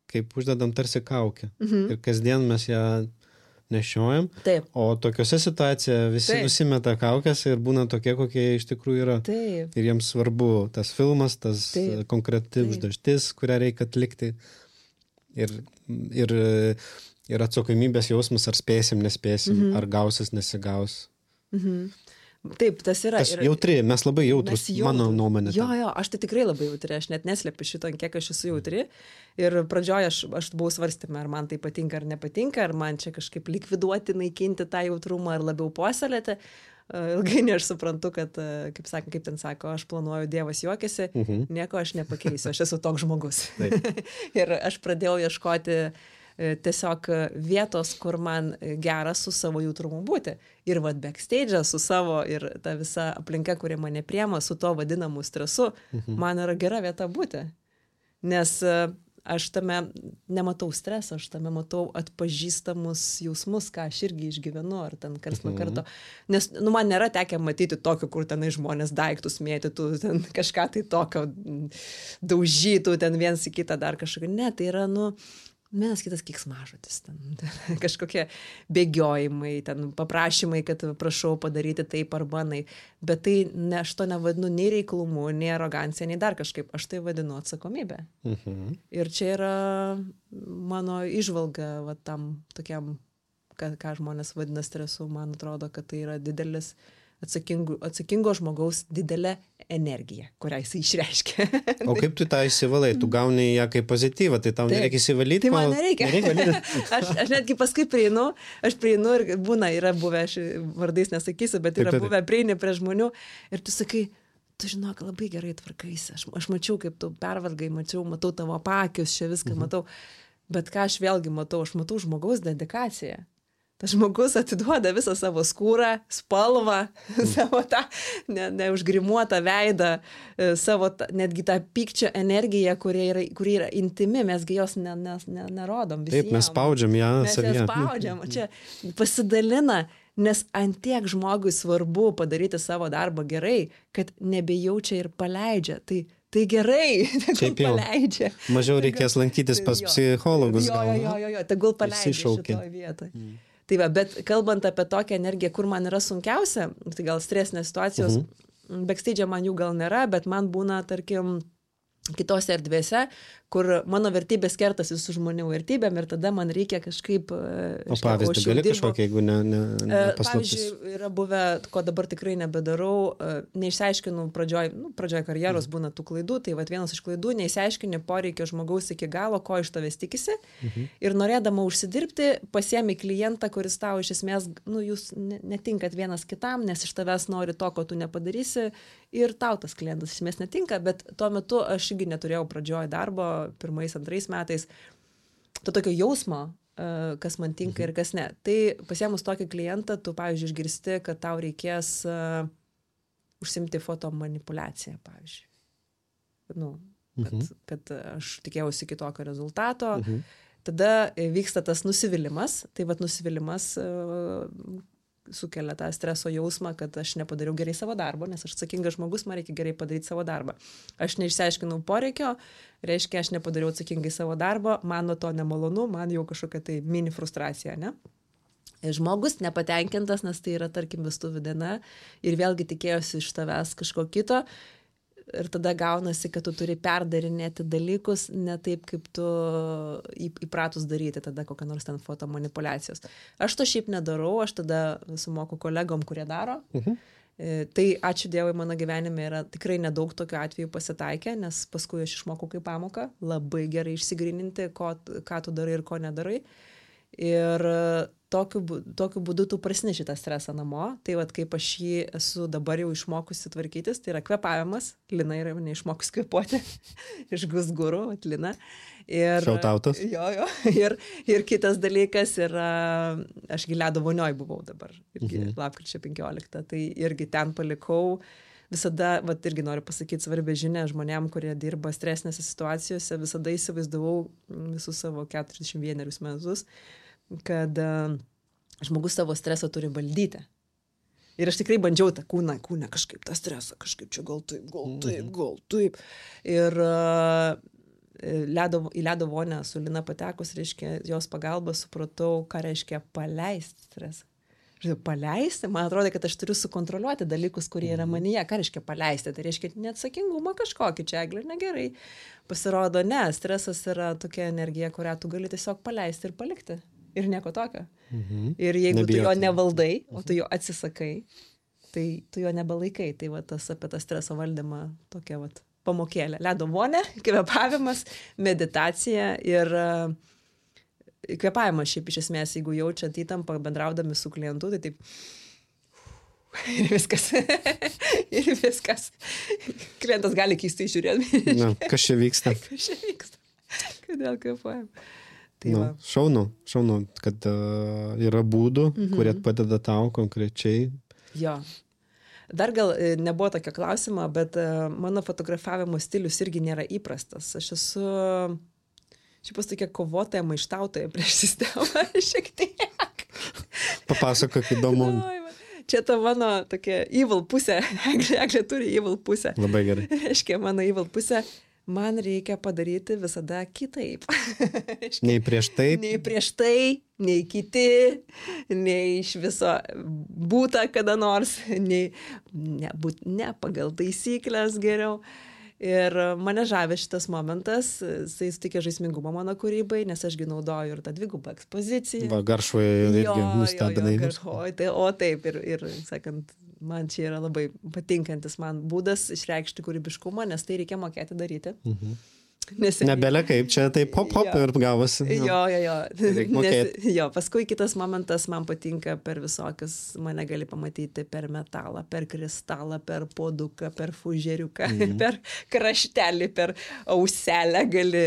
kaip uždedam tarsi kaukę. Ir kasdien mes ją nešiojam. Taip. O tokiuose situacijoje visi nusimeta kaukės ir būna tokie, kokie iš tikrųjų yra. Taip. Ir jiems svarbu tas filmas, tas konkreti užduotis, kurią reikia atlikti. Ir atsakomybės jausmas, ar spėsim, nespėsim, ar gausis, nesigaus. Taip, tas yra. Jautri, mes labai jautrus, mano nuomonė. Jo, aš tai tikrai labai jautri, aš net neslepiu šito, kiek aš esu jautri. Ir pradžioje aš buvau svarstymė, ar man tai patinka ar nepatinka, ar man čia kažkaip likviduoti, naikinti tą jautrumą, ar labiau puoselėti. Ilgainiui aš suprantu, kad, kaip ten sako, aš planuoju, Dievas juokiasi, nieko aš nepakeisiu, aš esu toks žmogus. Ir aš pradėjau ieškoti tiesiog vietos, kur man gera su savo jautrumu būti. Ir backstage su savo ir ta visa aplinka, kurie mane priema su to vadinamu stresu, man yra gera vieta būti. Nes aš tame nematau streso, aš tame matau atpažįstamus jausmus, ką aš irgi išgyvenu, ar ten karts nuo karto. Nes man nėra tekę matyti tokio, kur tenai žmonės daiktus mėtytų, ten kažką tai tokio daužytų, ten viens į kitą dar kažkokio. Ne, tai yra, vienas kitas keiksmažodis, ten kažkokie bėgiojimai, ten paprašymai, kad prašau padaryti taip arba naip. Bet tai aš to nevadinu nei reiklumu, nei arogancija, nei dar kažkaip. Aš tai vadinu atsakomybę. Ir čia yra mano įžvalga va, tam tokiam, ką žmonės vadina stresu. Man atrodo, kad tai yra didelis atsakingo žmogaus didelė energija, kurią jisai išreiškia. O kaip tu tą įsivalai? Tu gauni ją kaip pozityvą, tai tau nereikia įsivalyti? Tai man nereikia. Aš netgi paskui prieinu ir būna, yra buvę, aš vardais nesakysiu, bet yra buvę prieini prie žmonių ir tu sakai, tu žinok, labai gerai tvarkaisi. Aš mačiau, kaip tu pervargai, matau tavo pakius, čia viską matau. Bet ką aš vėlgi matau? Aš matau žmogaus dedikaciją. Tas žmogus atiduoda visą savo skūrą, spalvą, savo tą neužgrimuotą veidą, savo netgi tą pykčio energiją, kuri yra intimi, mesgi jos nerodom visiems. Taip, mes spaudžiam ją savyje. Mes ją spaudžiam, čia pasidalina, nes antiek žmogui svarbu padaryti savo darbą gerai, kad nebejaučia ir paleidžia. Tai gerai, tegul paleidžia. Mažiau reikės lankytis pas psichologus. Jo, tegul paleidžia šitoje vietoje. Tai va, bet kalbant apie tokią energiją, kur man yra sunkiausia, tai gal stresinės situacijos, backstage man jų gal nėra, bet man būna, tarkim, kitose erdvėse, kur mano vertybės kertasi su žmonių vertybėm ir tada man reikia kažkaip... O pavyzdį gali kažkokia, jeigu ne paslaptis? Pavyzdžiui, yra buvę, ko dabar tikrai nebedarau, neišsiaiškinu pradžioj karjeros būna tų klaidų, tai vat vienas iš klaidų, neišsiaiškini poreikio žmogaus iki galo, ko iš tavęs tikisi ir norėdama užsidirbti, pasiemi klientą, kuris tau iš esmės, jūs netinkat vienas kitam, nes iš tavęs nori to, ko tu nepadarysi ir tau tas klientas iš esmės netinka, bet tuo metu aš irgi neturėjau pradžioj darbo, 1-2 metais, to tokio jausmo, kas man tinka ir kas ne. Tai pasiemus tokį klientą, tu, pavyzdžiui, išgirsti, kad tau reikės užsimti fotomanipuliaciją, pavyzdžiui. Kad aš tikėjausi kitokio rezultato. Tada vyksta tas nusivylimas. Tai vat nusivylimas sukelia tą streso jausmą, kad aš nepadariau gerai savo darbo, nes aš atsakingas žmogus, man reikia gerai padaryti savo darbą. Aš neišsiaiškinau poreikio, reiškia, aš nepadariau atsakingai savo darbo, man nuo to nemalonu, man jau kažkokia tai mini frustracija, ne? Žmogus nepatenkintas, nes tai yra, tarkim, vestuvių diena ir vėlgi tikėjosi iš tavęs kažko kito ir tada gaunasi, kad tu turi perdarinėti dalykus ne taip, kaip tu įpratus daryti tada kokią nors ten fotomanipuliacijos. Aš to šiaip nedarau, aš tada sumoku kolegom, kurie daro. Tai ačiū Dievui, mano gyvenime yra tikrai nedaug tokių atvejų pasitaikę, nes paskui aš išmokau kaip pamoką labai gerai išsigryninti, ką tu darai ir ko nedarai. Ir tokiu būdu tu prasineši tą stresą namo. Tai vat kaip aš jį esu dabar jau išmokusi tvarkytis, tai yra kvėpavimas. Lina yra neišmokus kvėpuoti iš Gusguru, Lina. Šautautas. Jo. Ir kitas dalykas yra, aš ledo vonioj buvau dabar, irgi lapkričio 15. Tai irgi ten palikau. Visada, irgi noriu pasakyti svarbę žinią žmonėm, kurie dirba stresinėse situacijose, visada įsivaizdavau visus savo 41 metus, kad žmogus savo stresą turi valdyti. Ir aš tikrai bandžiau tą kūną kažkaip tą stresą, kažkaip čia gal taip. Ir į ledo vonę su Lina patekus, reiškia, jos pagalba supratau, ką reiškia paleisti stresą. Paleisti, man atrodo, kad aš turiu sukontroliuoti dalykus, kurie yra manyje. Ką reiškia paleisti? Tai reiškia neatsakingumą kažkokį čia, Eglė, negerai. Pasirodo, ne, stresas yra tokia energija, kurią tu gali tiesiog paleisti ir palikti. Ir nieko tokio. Ir jeigu tu jo nevaldai, o tu jo atsisakai, tai tu jo nebelaikai. Tai va tas apie tą streso valdymą tokia va pamokėlė. Ledo vonė, kvėpavimas, meditacija ir kvėpavimas šiaip iš esmės, jeigu jaučiat įtampą bendraudami su klientu, tai taip ir viskas. Klientas gali keistai žiūrėti. Kas čia vyksta? Kodėl kvėpuojam? Šaunu, kad yra būdų, kurie padeda tau konkrečiai. Jo. Dar gal nebuvo tokio klausimo, bet mano fotografavimo stilius irgi nėra įprastas. Aš esu šiaip tokia kovotoja, maištautoja prieš sistemą šiek tiek. Papasakok, įdomu. Čia ta mano tokia evil pusė. Eglė turi evil pusę. Labai gerai. Reiškia, mano evil pusė. man reikia padaryti visada kitaip. Nei prieš tai. Nei prieš tai, nei kiti, nei iš viso būta kada nors, nei nebūt ne pagal taisyklės geriau. Ir mane žavė šitas momentas, jisai sutikė žaismingumą mano kūrybai, nes ašgi naudoju ir tą dvigubą ekspoziciją. Va, Garšvoje irgi nustebinai. O taip, ir sakant, man čia yra labai patinkantis man būdas išreikšti kūrybiškumą, nes tai reikia mokėti daryti. Nebele kaip, čia taip hop ir gavosi. Jo, paskui kitas momentas man patinka per visokius, mane gali pamatyti per metalą, per kristalą, per puoduką, per fužeriuką, per kraštelį, per auselę gali,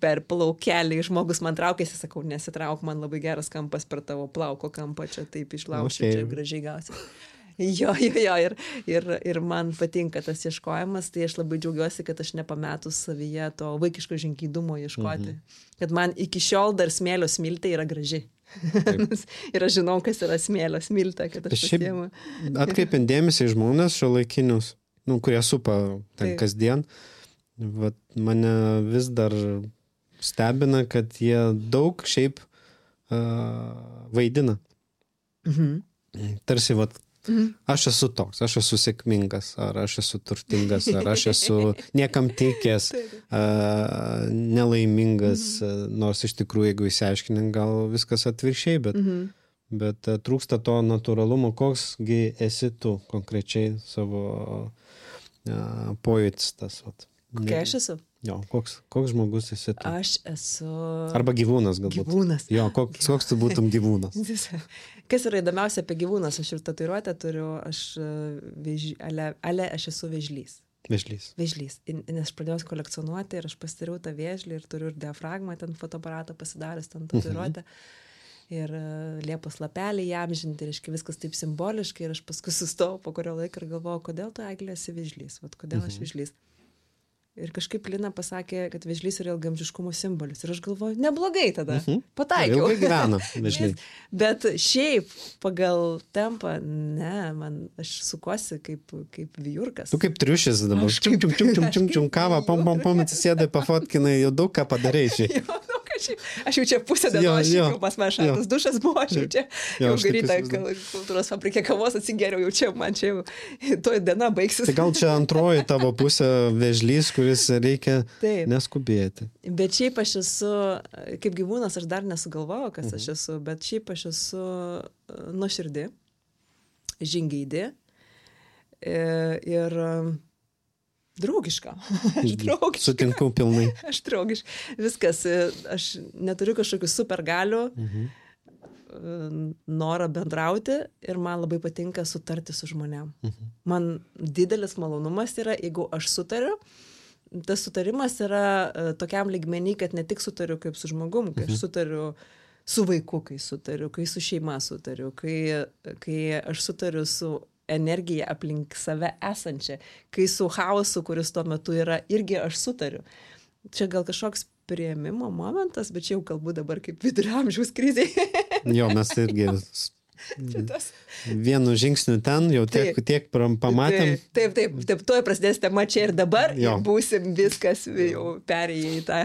per plaukelį. Žmogus man traukėsi, sakau, nesitrauk, man labai geras kampas per tavo plauko kampą, čia taip išlaušiu, čia gražiai gausi. Jo, ir man patinka tas ieškojimas, tai aš labai džiaugiuosi, kad aš nepametus savyje to vaikiško žingeidumo ieškoti. Kad man iki šiol dar smėlio smiltė yra graži. Ir aš žinau, kas yra smėlio smiltė, kad aš pasiemu. Atkreipiant dėmesį į žmonės šiuolaikinius, kurie supa ten kasdien, vat, mane vis dar stebina, kad jie daug šiaip vaidina. Tarsi, vat, aš esu toks, aš esu sėkmingas, ar aš esu turtingas, ar aš esu niekam tikęs, nelaimingas, nors iš tikrųjų, jeigu įsiaiškini, gal viskas atvirkščiai, bet trūksta to natūralumo, koksgi esi tu konkrečiai savo pojūtis tas. Kokia aš esu? Jo, koks žmogus esi tu? Aš esu... Arba gyvūnas galbūt. Gyvūnas. Jo, koks tu būtum gyvūnas? Kas yra įdomiausia apie gyvūnas? Aš ir tatuiruotę turiu, aš esu vėžlys. Vėžlys. Nes aš pradėjau kolekcionuoti ir aš pasitariau tą vėžlį ir turiu ir diafragmą, ten fotoaparatą pasidaręs, ten tatuiruotę. Ir liepos lapelį įamžinti, reiškia viskas taip simboliškai ir aš paskui sustojau po kurio laiko ir galvojau, kodėl tu, Eglė, esi vėžlys? Vat kodėl aš vėžlys? Ir kažkaip Lina pasakė, kad vėžlys yra ilgaamžiškumo simbolis. Ir aš galvoju, neblogai tada. Pataikiau. Ilgai gyvena vėžliai. Bet šiaip pagal tempą, aš sukuosi kaip vijurkas. Tu kaip triušis dabar. Čium, kavą, pom, atsisėdai, pafotkinai, jau daug ką padarai šiai. Aš jau čia pusę dienos, pas man šaltas dušas buvo, aš jau čia jau garytą kultūros fabrikė kavos atsigeriau, jau čia man čia jau toj diena baigsis. Tai gal čia antroji tavo pusė vėžlys, kuris reikia neskubėti. Bet šiaip aš esu, kaip gyvūnas, aš dar nesugalvojau, kas aš esu, bet šiaip aš esu nuoširdi, žingeidi ir draugiška. Sutinku pilnai. Aš draugiška. Viskas. Aš neturiu kažkokių supergalių, norą bendrauti ir man labai patinka sutarti su žmonėm. Man didelis malonumas yra, jeigu aš sutariu. Tas sutarimas yra tokiam lygmenį, kad ne tik sutariu kaip su žmogum, kai aš sutariu su vaiku, kai sutariu, kai su šeima sutariu, kai aš sutariu su energiją aplink save esančią, kai su chaosu, kuris tuo metu yra, irgi aš sutariu. Čia gal kažkoks priėmimo momentas, bet čia jau kalbu dabar kaip vidurio amžiaus krizė. Jo, mes irgi vienu žingsniu ten jau tiek pamatėm. Taip, tuoj prasidės tema čia ir dabar ir būsim viskas jau perėję į tą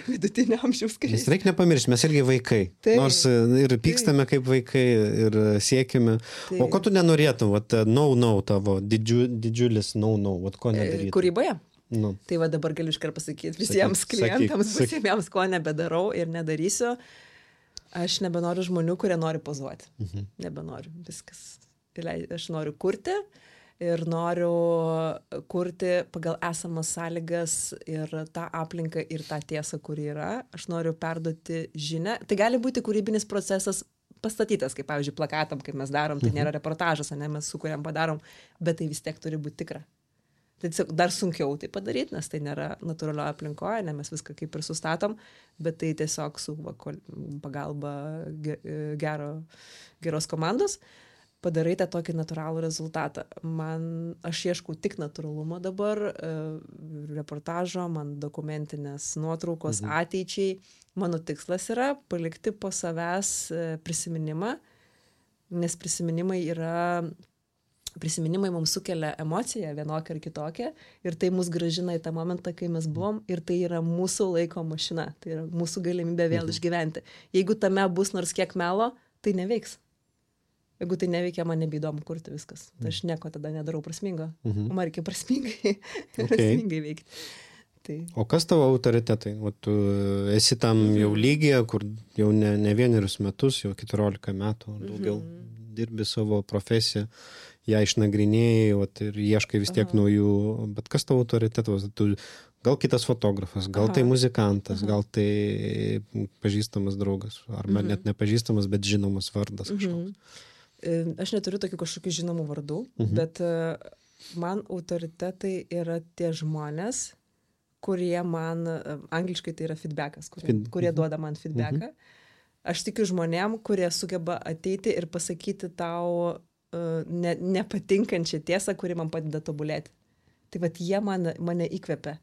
vidutinio amžiaus krizę. Nes reikia nepamiršti, mes irgi vaikai. Nors ir pykstame kaip vaikai ir siekime. O ko tu nenorėtum? No, tavo didžiulis no, ko nedarytum? Kūryboje? Tai va dabar galiu iškart pasakyti visiems klientams, visiems, ko nebedarau ir nedarysiu. Aš nebenoriu žmonių, kurie nori pozuoti. Nebenoriu. Viskas. Aš noriu kurti ir noriu kurti pagal esamas sąlygas ir tą aplinką ir tą tiesą, kuri yra. Aš noriu perduoti žinią. Tai gali būti kūrybinis procesas pastatytas, kaip pavyzdžiui plakatam, kaip mes darom. Tai nėra reportažas, mes sukuriam, padarom, bet tai vis tiek turi būti tikra. Tai dar sunkiau tai padaryti, nes tai nėra natūralioje aplinkoje, ne mes viską kaip ir sustatom, bet tai tiesiog su pagalba geros komandos padarai tą tokį natūralų rezultatą. Aš ieškau tik natūralumo dabar, reportažo, man dokumentinės nuotraukos ateičiai. Mano tikslas yra palikti po savęs prisiminimą, nes prisiminimai yra prisiminimai mums sukelia emociją vienokią ar kitokią ir tai mus grąžina į tą momentą, kai mes buvom ir tai yra mūsų laiko mašina, tai yra mūsų galimybė vėl išgyventi. Jeigu tame bus nors kiek melo, tai neveiks. Jeigu tai neveikia, man nebeįdomu kurti viskas. Tai aš nieko tada nedarau prasmingo. Man reikia prasmingai veikti. Tai... O kas tavo autoritetai? O tu esi tam jau lygyje, kur jau ne vienerius metus, jau 14 metų daugiau dirbi savo profesiją, ją išnagrinėjai ir ieškai vis tiek naujų, bet kas tavo autoritetas? Tu gal kitas fotografas, gal tai muzikantas, gal tai pažįstamas draugas, arba net nepažįstamas, bet žinomas vardas kažkoks. Aš neturiu tokių kažkokių žinomų vardų, bet man autoritetai yra tie žmonės, kurie man, angliškai tai yra feedbackas, kurie duoda man feedbacką. Aš tikiu žmonėm, kurie sugeba ateiti ir pasakyti tau nepatinkančią tiesą, kuri man padeda tobulėti. Tai vat jie mane įkvepia.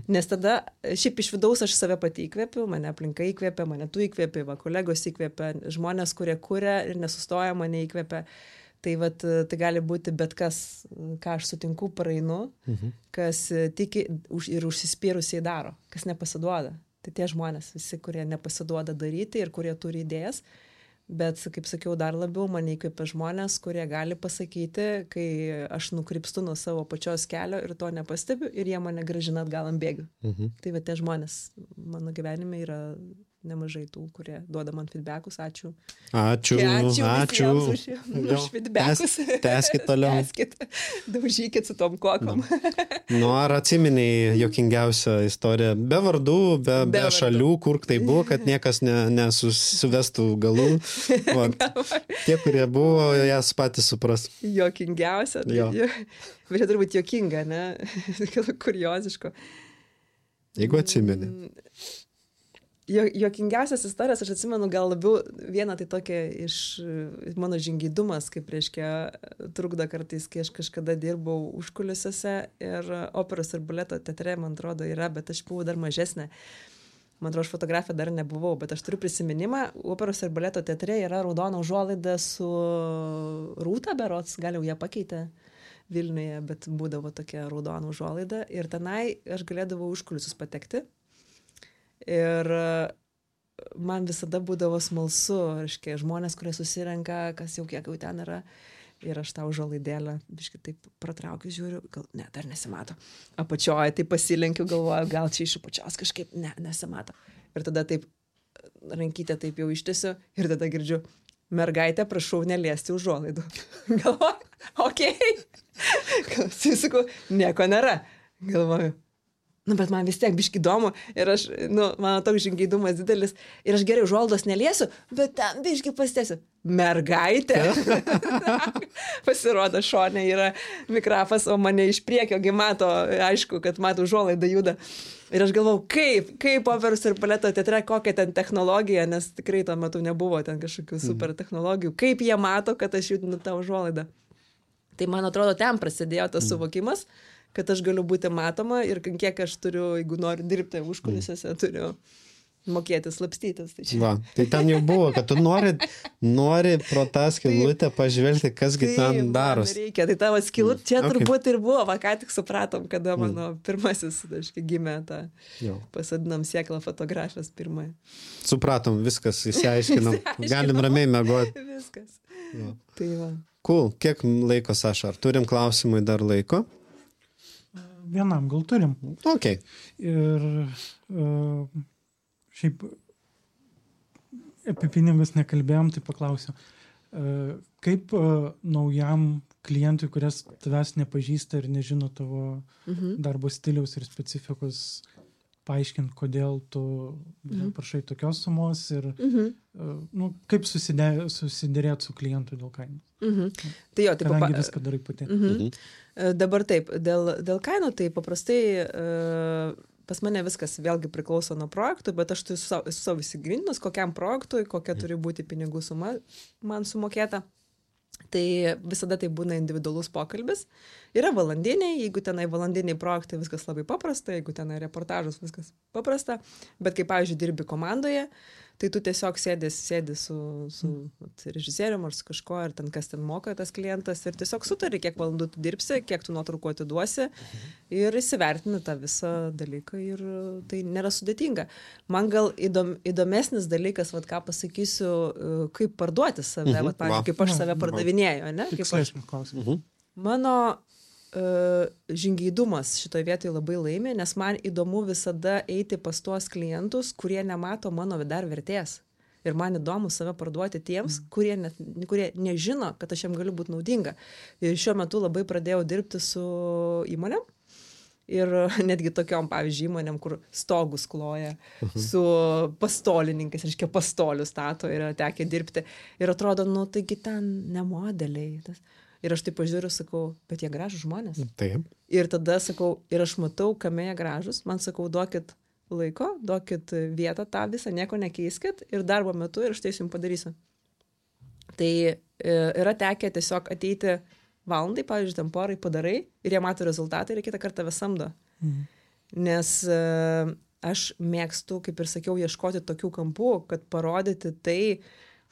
Nes tada, šiaip iš vidaus aš save pati įkvepiu, mane aplinka įkvepia, mane tu įkvepi, kolegos įkvepia, žmonės, kurie kuria ir nesustoja, mane įkvepia. Tai vat, tai gali būti bet kas, ką aš sutinku, praeinu, kas tiki ir užsispyrusiai daro, kas nepasiduoda. Tai tie žmonės visi, kurie nepasiduoda daryti ir kurie turi idėjas. Bet, kaip sakiau, dar labiau mane įkvepia žmonės, kurie gali pasakyti, kai aš nukrypstu nuo savo pačios kelio ir to nepastebiu ir jie mane grąžina atgal ant bėgių. Tai va tie žmonės mano gyvenime yra nemažai tų, kurie duoda man feedbackus. Ačiū. Ačiū. Už feedbackus. Tęskit toliau. Daužykit su tom kokom. Ar atsiminiai juokingiausią istoriją? Be vardų, be šalių, kur tai buvo, kad niekas nesusivestų galų. Tie, kurie buvo, jas patys supras. Juokingiausia. Bet čia turbūt juokinga, ne? Kurioziško. Jeigu atsimeni. Juokingiausias istorijas, aš atsimenu gal labiau vieną tai tokia iš mano žingeidumas, kaip reiškia trukdo kartais, kai aš kažkada dirbau užkulisiuose ir operos ir baleto teatre, man atrodo, yra, bet aš buvau dar mažesnė. Man atrodo, aš fotografė dar nebuvau, bet aš turiu prisiminimą, operos ir baleto teatre yra raudona užuolaida su Rūta berods, gal jau ją pakeitė Vilniuje, bet būdavo tokia raudona užuolaida ir tenai aš galėdavau užkulisius patekti. Ir man visada būdavo smalsu, reiškia, žmonės, kurie susirenka, kas jau kiek jau ten yra. Ir aš tą užuolaidėlę, biškai taip pratraukiu, žiūriu, gal, ne, dar nesimato. Apačioje tai pasilenkiu, galvoju, gal čia iš apačios kažkaip, ne, nesimato. Ir tada taip, rankytę taip jau ištiesiu ir tada girdžiu, mergaitė, prašau neliesti užuolaidų. Galvoju, okei. Sakau, nieko nėra. Galvoju. Bet man vis tiek biški įdomu ir aš, mano toks žingeidumas didelis ir aš gerai užuolaidos neliesiu, bet ten biški pasitėsiu. Mergaitė. Pasirodo, šone yra mikrafas, o mane iš priekio mato, aišku, kad mato užuolaidą juda. Ir aš galvau, kaip operos ir baleto teatre, kokia ten technologija, nes tikrai tuo metu nebuvo ten kažkokių super technologijų. Kaip jie mato, kad aš judinu tą užuolaidą. Tai man atrodo, ten prasidėjo tas suvokimas, kad aš galiu būti matoma ir kiek aš turiu, jeigu noriu dirbti užkulisiuose, turiu mokėti slapstytis. Tai ten jau buvo, kad tu nori pro tą skylutę pažvelgti, kasgi ten darosi. Reikia, tai tavo skylutė, čia turbūt ir buvo, ką tik supratom, kada mano pirmasis, gimė tą, pasodinom sėklą fotografijos pirmąją. Supratom, viskas, įsiaiškinom, galim ramiai mėgoti. Viskas. Tai va. Cool, kiek laiko, Saša, ar turim klausimui dar laiko? Vienam gal turim. Ok. Ir šiaip apie pinigus nekalbėjom, tai paklausiu. Kaip naujam klientui, kuris tavęs nepažįsta ir nežino tavo darbo stiliaus ir specifikos, paaiškint, kodėl tu prašai tokios sumos ir kaip susidėrėt su klientu dėl kainos. Tai jo, taip, kadangi viską darai pati. Dabar taip, dėl kainų, tai paprastai pas mane viskas vėlgi priklauso nuo projektų, bet aš esu savo įsigrininus, kokiam projektui, kokia turi būti pinigų suma man sumokėta. Tai visada tai būna individualus pokalbis. Yra valandiniai, jeigu tenai valandiniai projektai, viskas labai paprasta, jeigu tenai reportažas, viskas paprasta. Bet kai, pavyzdžiui, dirbi komandoje, Tai tu tiesiog sėdi su režisierium ar su kažko, ir ten kas ten moka tas klientas, ir tiesiog sutari, kiek valandų tu dirbsi, kiek tu nuotraukų atiduosi, ir įsivertini tą visą dalyką, ir tai nėra sudėtinga. Man gal įdomesnis dalykas, vat, ką pasakysiu, kaip parduoti save, vat, pavyzdžiui, kaip aš save pardavinėju, ne? Kaip aš... Mano žingeidumas šitoje vietoje labai laimi, nes man įdomu visada eiti pas tuos klientus, kurie nemato mano dar vertės. Ir man įdomu save parduoti tiems, kurie nežino, kad aš jam galiu būti naudinga. Ir šiuo metu labai pradėjau dirbti su įmonėm. Ir netgi tokiom, pavyzdžiui, įmonėm, kur stogus kloja, su pastolininkais, reiškia, pastolių stato, yra tekę dirbti. Ir atrodo, nu, taigi ten ne modeliai. Ir aš taip pažiūriu, sakau, bet jie gražūs žmonės. Taip. Ir tada sakau, ir aš matau, kame jie gražūs, man sakau, duokit laiko, duokit vietą tą visą, nieko nekeiskit, ir darbo metu, ir aš tai jums padarysiu. Tai yra tekę tiesiog ateiti valandai, pavyzdžiui, ten porai padarai, ir jie mato rezultatą, ir kitą kartą tave samdo. Nes aš mėgstu, kaip ir sakiau, ieškoti tokių kampų, kad parodyti tai,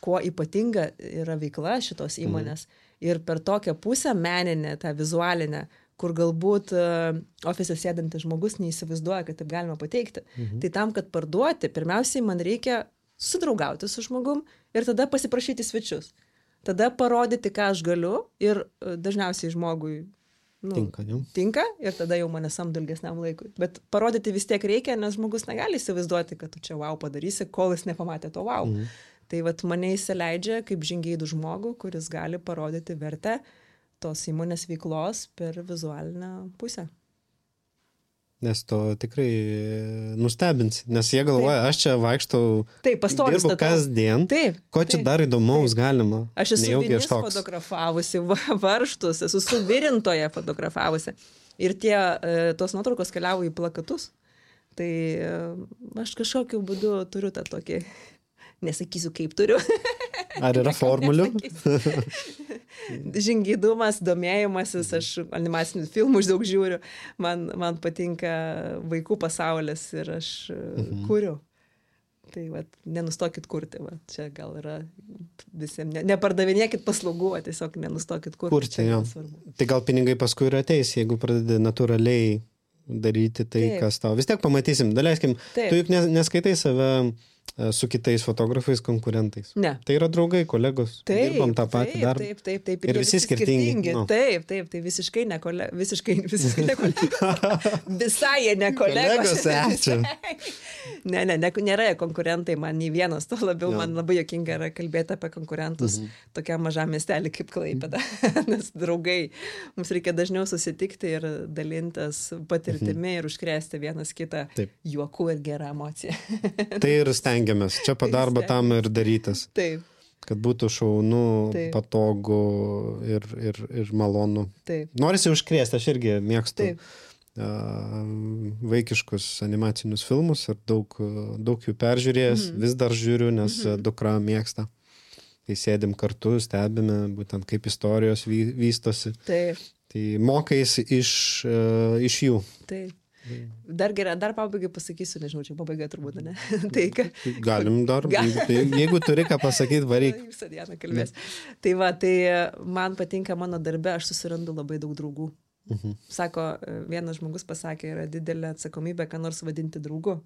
kuo ypatinga yra veikla šitos įmonės. Ir per tokią pusę meninę, tą vizualinę, kur galbūt ofise sėdantis žmogus neįsivaizduoja, kad taip galima pateikti. Tai tam, kad parduoti, pirmiausiai man reikia sudraugauti su žmogum ir tada pasiprašyti svečius. Tada parodyti, ką aš galiu, ir dažniausiai žmogui tinka, ir tada jau mane samdo ilgesniam laikui. Bet parodyti vis tiek reikia, nes žmogus negali įsivaizduoti, kad tu čia wow padarysi, kol jis nepamatė to wow. Tai vat mane įsileidžia kaip žingeidų žmogų, kuris gali parodyti vertę tos įmonės veiklos per vizualinę pusę. Nes to tikrai nustebins, nes jie galvoja, aš čia vaikštau, dirbu kasdien, ko čia dar įdomaus galima. Aš esu vinis fotografavusi, varžtus, esu suvirintoje fotografavusi. Ir tos nuotraukos keliavo į plakatus. Tai aš kažkokiu būdu turiu tą tokį... Nesakysiu, kaip turiu. Ar yra formulių? Žingeidumas, domėjimasis, aš animacinius filmus daug žiūriu, man patinka vaikų pasaulis ir aš kuriu. Tai vat, nenustokit kurti, vat, čia gal yra visiems, nepardavinėkit paslaugų, tiesiog nenustokit kurti. Jo. Tai gal pinigai paskui ir ateis, jeigu pradedi natūraliai daryti tai, kas tau. Vis tiek pamatysim, daleiskim, tu juk neskaitai save su kitais fotografais, konkurentais. Ne. Tai yra draugai, kolegos. Dirbam tą patį darbą. Taip. Ir visi skirtingi. Taip, tai visiškai ne kolegos. Visiškai ne kolegos. Visai jie ne kolegos. Ačiū. Ne, nėra konkurentai, man nei vienas, to labiau man labai juokinga yra kalbėti apie konkurentus tokiam mažam miestelį kaip Klaipėda. Nes draugai, mums reikia dažniau susitikti ir dalintis patirtimi ir užkrėsti vienas kitą juoku ir gerą emociją. Tai ir stengiamės. Čia padarba tam ir darytas. Taip. Kad būtų šaunu, patogu ir malonu. Taip. Norisi užkrėsti, aš irgi mėgstu vaikiškus animacinius filmus ir daug jų peržiūrėjęs, vis dar žiūriu, nes dukra mėgsta. Tai sėdim kartu, stebime būtent kaip istorijos vystosi. Taip. Tai mokais iš jų. Taip. Dar pabaigai pasakysiu, nežinau, čia pabaiga turbūt, ne? Galim dar, jeigu turi ką pasakyti, varyk. Visą dieną kalbės. Tai man patinka mano darbe, aš susirandu labai daug draugų. Sako, vienas žmogus pasakė, yra didelė atsakomybė, ką nors vadinti draugu.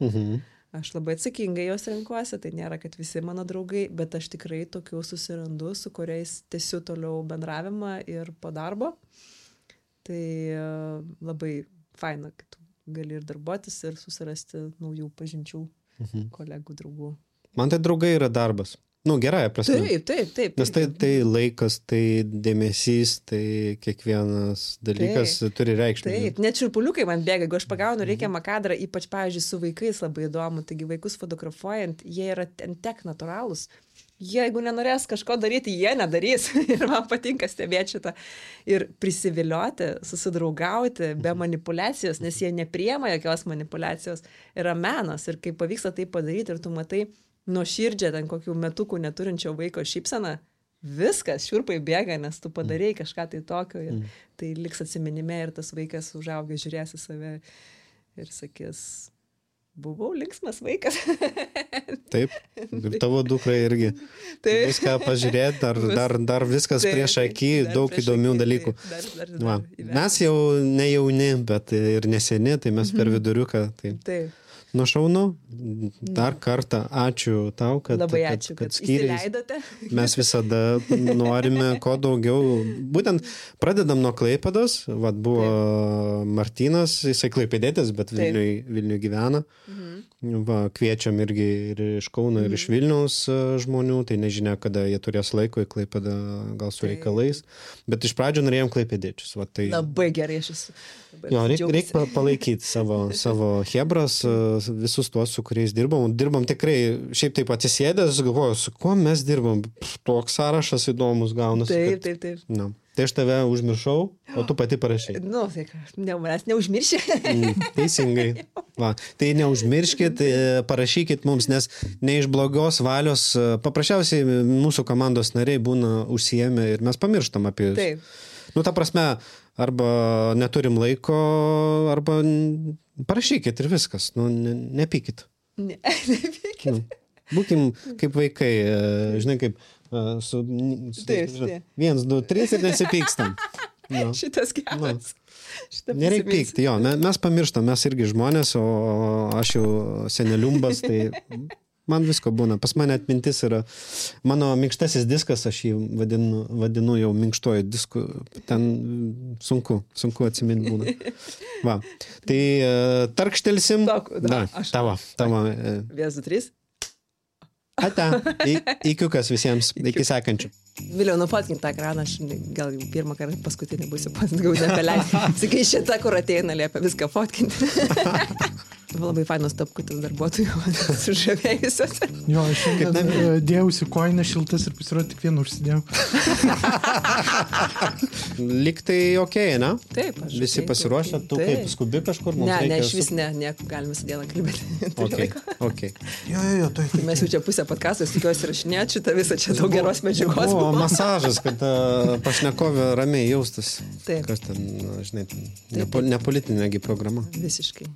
Aš labai atsakingai jos renkuosi, tai nėra, kad visi mano draugai, bet aš tikrai tokių susirandu, su kuriais tęsiu toliau bendravimą ir po darbo. Tai labai faina, kad tu gali ir darbuotis, ir susirasti naujų pažinčių, kolegų, draugų. Man tai draugai yra darbas. Gerąją prasme. Taip. Nes tai laikas, tai dėmesys, tai kiekvienas dalykas turi reikšmę. Taip, net šiurpuliukai man bėga, jeigu aš pagaunu reikiamą kadrą, ypač, pavyzdžiui, su vaikais labai įdomu, taigi vaikus fotografuojant, jie yra tiek natūralūs. Jeigu nenorės kažko daryti, jie nedarys. Ir man patinka stebėti šitą. Ir prisivilioti, susidraugauti be manipulacijos, nes jie nepriema jokios manipulacijos. Yra menas ir kai pavyksta tai padaryti ir tu matai nuoširdžią ten kokių metukų neturinčio vaiko šypseną, viskas, šiurpai bėga, nes tu padarėjai kažką tai tokio ir tai liks atsiminime ir tas vaikas užaugęs žiūrės į save ir sakys, buvau linksmas vaikas. Taip, ir tavo dukra irgi. Taip. Viską pažiūrėti, dar viskas prieš akį, daug įdomių dalykų. Va. Mes jau ne jauni, bet ir neseni, tai mes per viduriuką. Taip. Nu šaunu, dar kartą ačiū tau, kad įsileidote. Mes visada norime kuo daugiau. Būtent pradedam nuo Klaipėdos, vat buvo Martynas, jisai klaipėdėtis, bet Vilniuje gyvena. Va, kviečiam irgi ir iš Kauno, ir iš Vilniaus žmonių, tai nežinia, kada jie turės laiko į Klaipėdą, gal su reikalais. Bet iš pradžio norėjom klaipėdėčius. Va, tai... Labai gerai aš esu. Jo, reikia palaikyti savo hebras, visus tuos, su kuriais dirbam. Dirbam tikrai, šiaip taip atsisėdęs, galvoju, su kuo mes dirbam. Toks sąrašas įdomus gaunasi. Taip. Na. Tai aš tave užmiršau, o tu pati parašai. Nu, tai manęs neužmiršė. Teisingai. Va, tai neužmirškit, parašykit mums, nes ne iš blogos valios, paprasčiausiai mūsų komandos nariai būna užsiėmę ir mes pamirštam apie jūs. Taip. Nu, ta prasme, arba neturim laiko, arba parašykit ir viskas. Nu, nepykit. Nepykit. Nu, būkim kaip vaikai, žinai, kaip su 1, 2, 3 ir nesipykstam. No. Šitas geras. Nereikia pykti, jo, mes pamirštam, mes irgi žmonės, o aš jau seneliumbas, tai man visko būna. Pas mane atmintis yra, mano minkštasis diskas, aš jį vadinu jau minkštoju disku, ten sunku atsiminti būna. Va, tai tarkštelsim. Tavo. 1, 2, 3. Ate, įkiukas visiems, iki sekančių. Vėliau nufotkint tą ekraną, aš gal jau pirmą kartą paskutinį būsiu pats, gal nepaleisiu. Sakai, šita, kur ateina, liepia viską fotkinti. Labai fainos tapkutis darbuotojų, sužavėjusios. Jo, aš šiandien dėjausi koinę šiltas ir pasirodė tik vieną užsidėjau. Lyg tai okei, ne? Taip, aš. Visi pasiruošę, tu kaip skubi kažkur? Ne, iš vis ne, galim visą dieną kalbėti. Okay. Jo, tai. Mes jau čia pusę podcast'o, tikiuosi rašinėti šitą visą čia daug geros medžiagos. O, masažas, kad pašnekovė ramiai jaustas. Taip. Kas ten, žinai, ne politinė programa. Visiškai.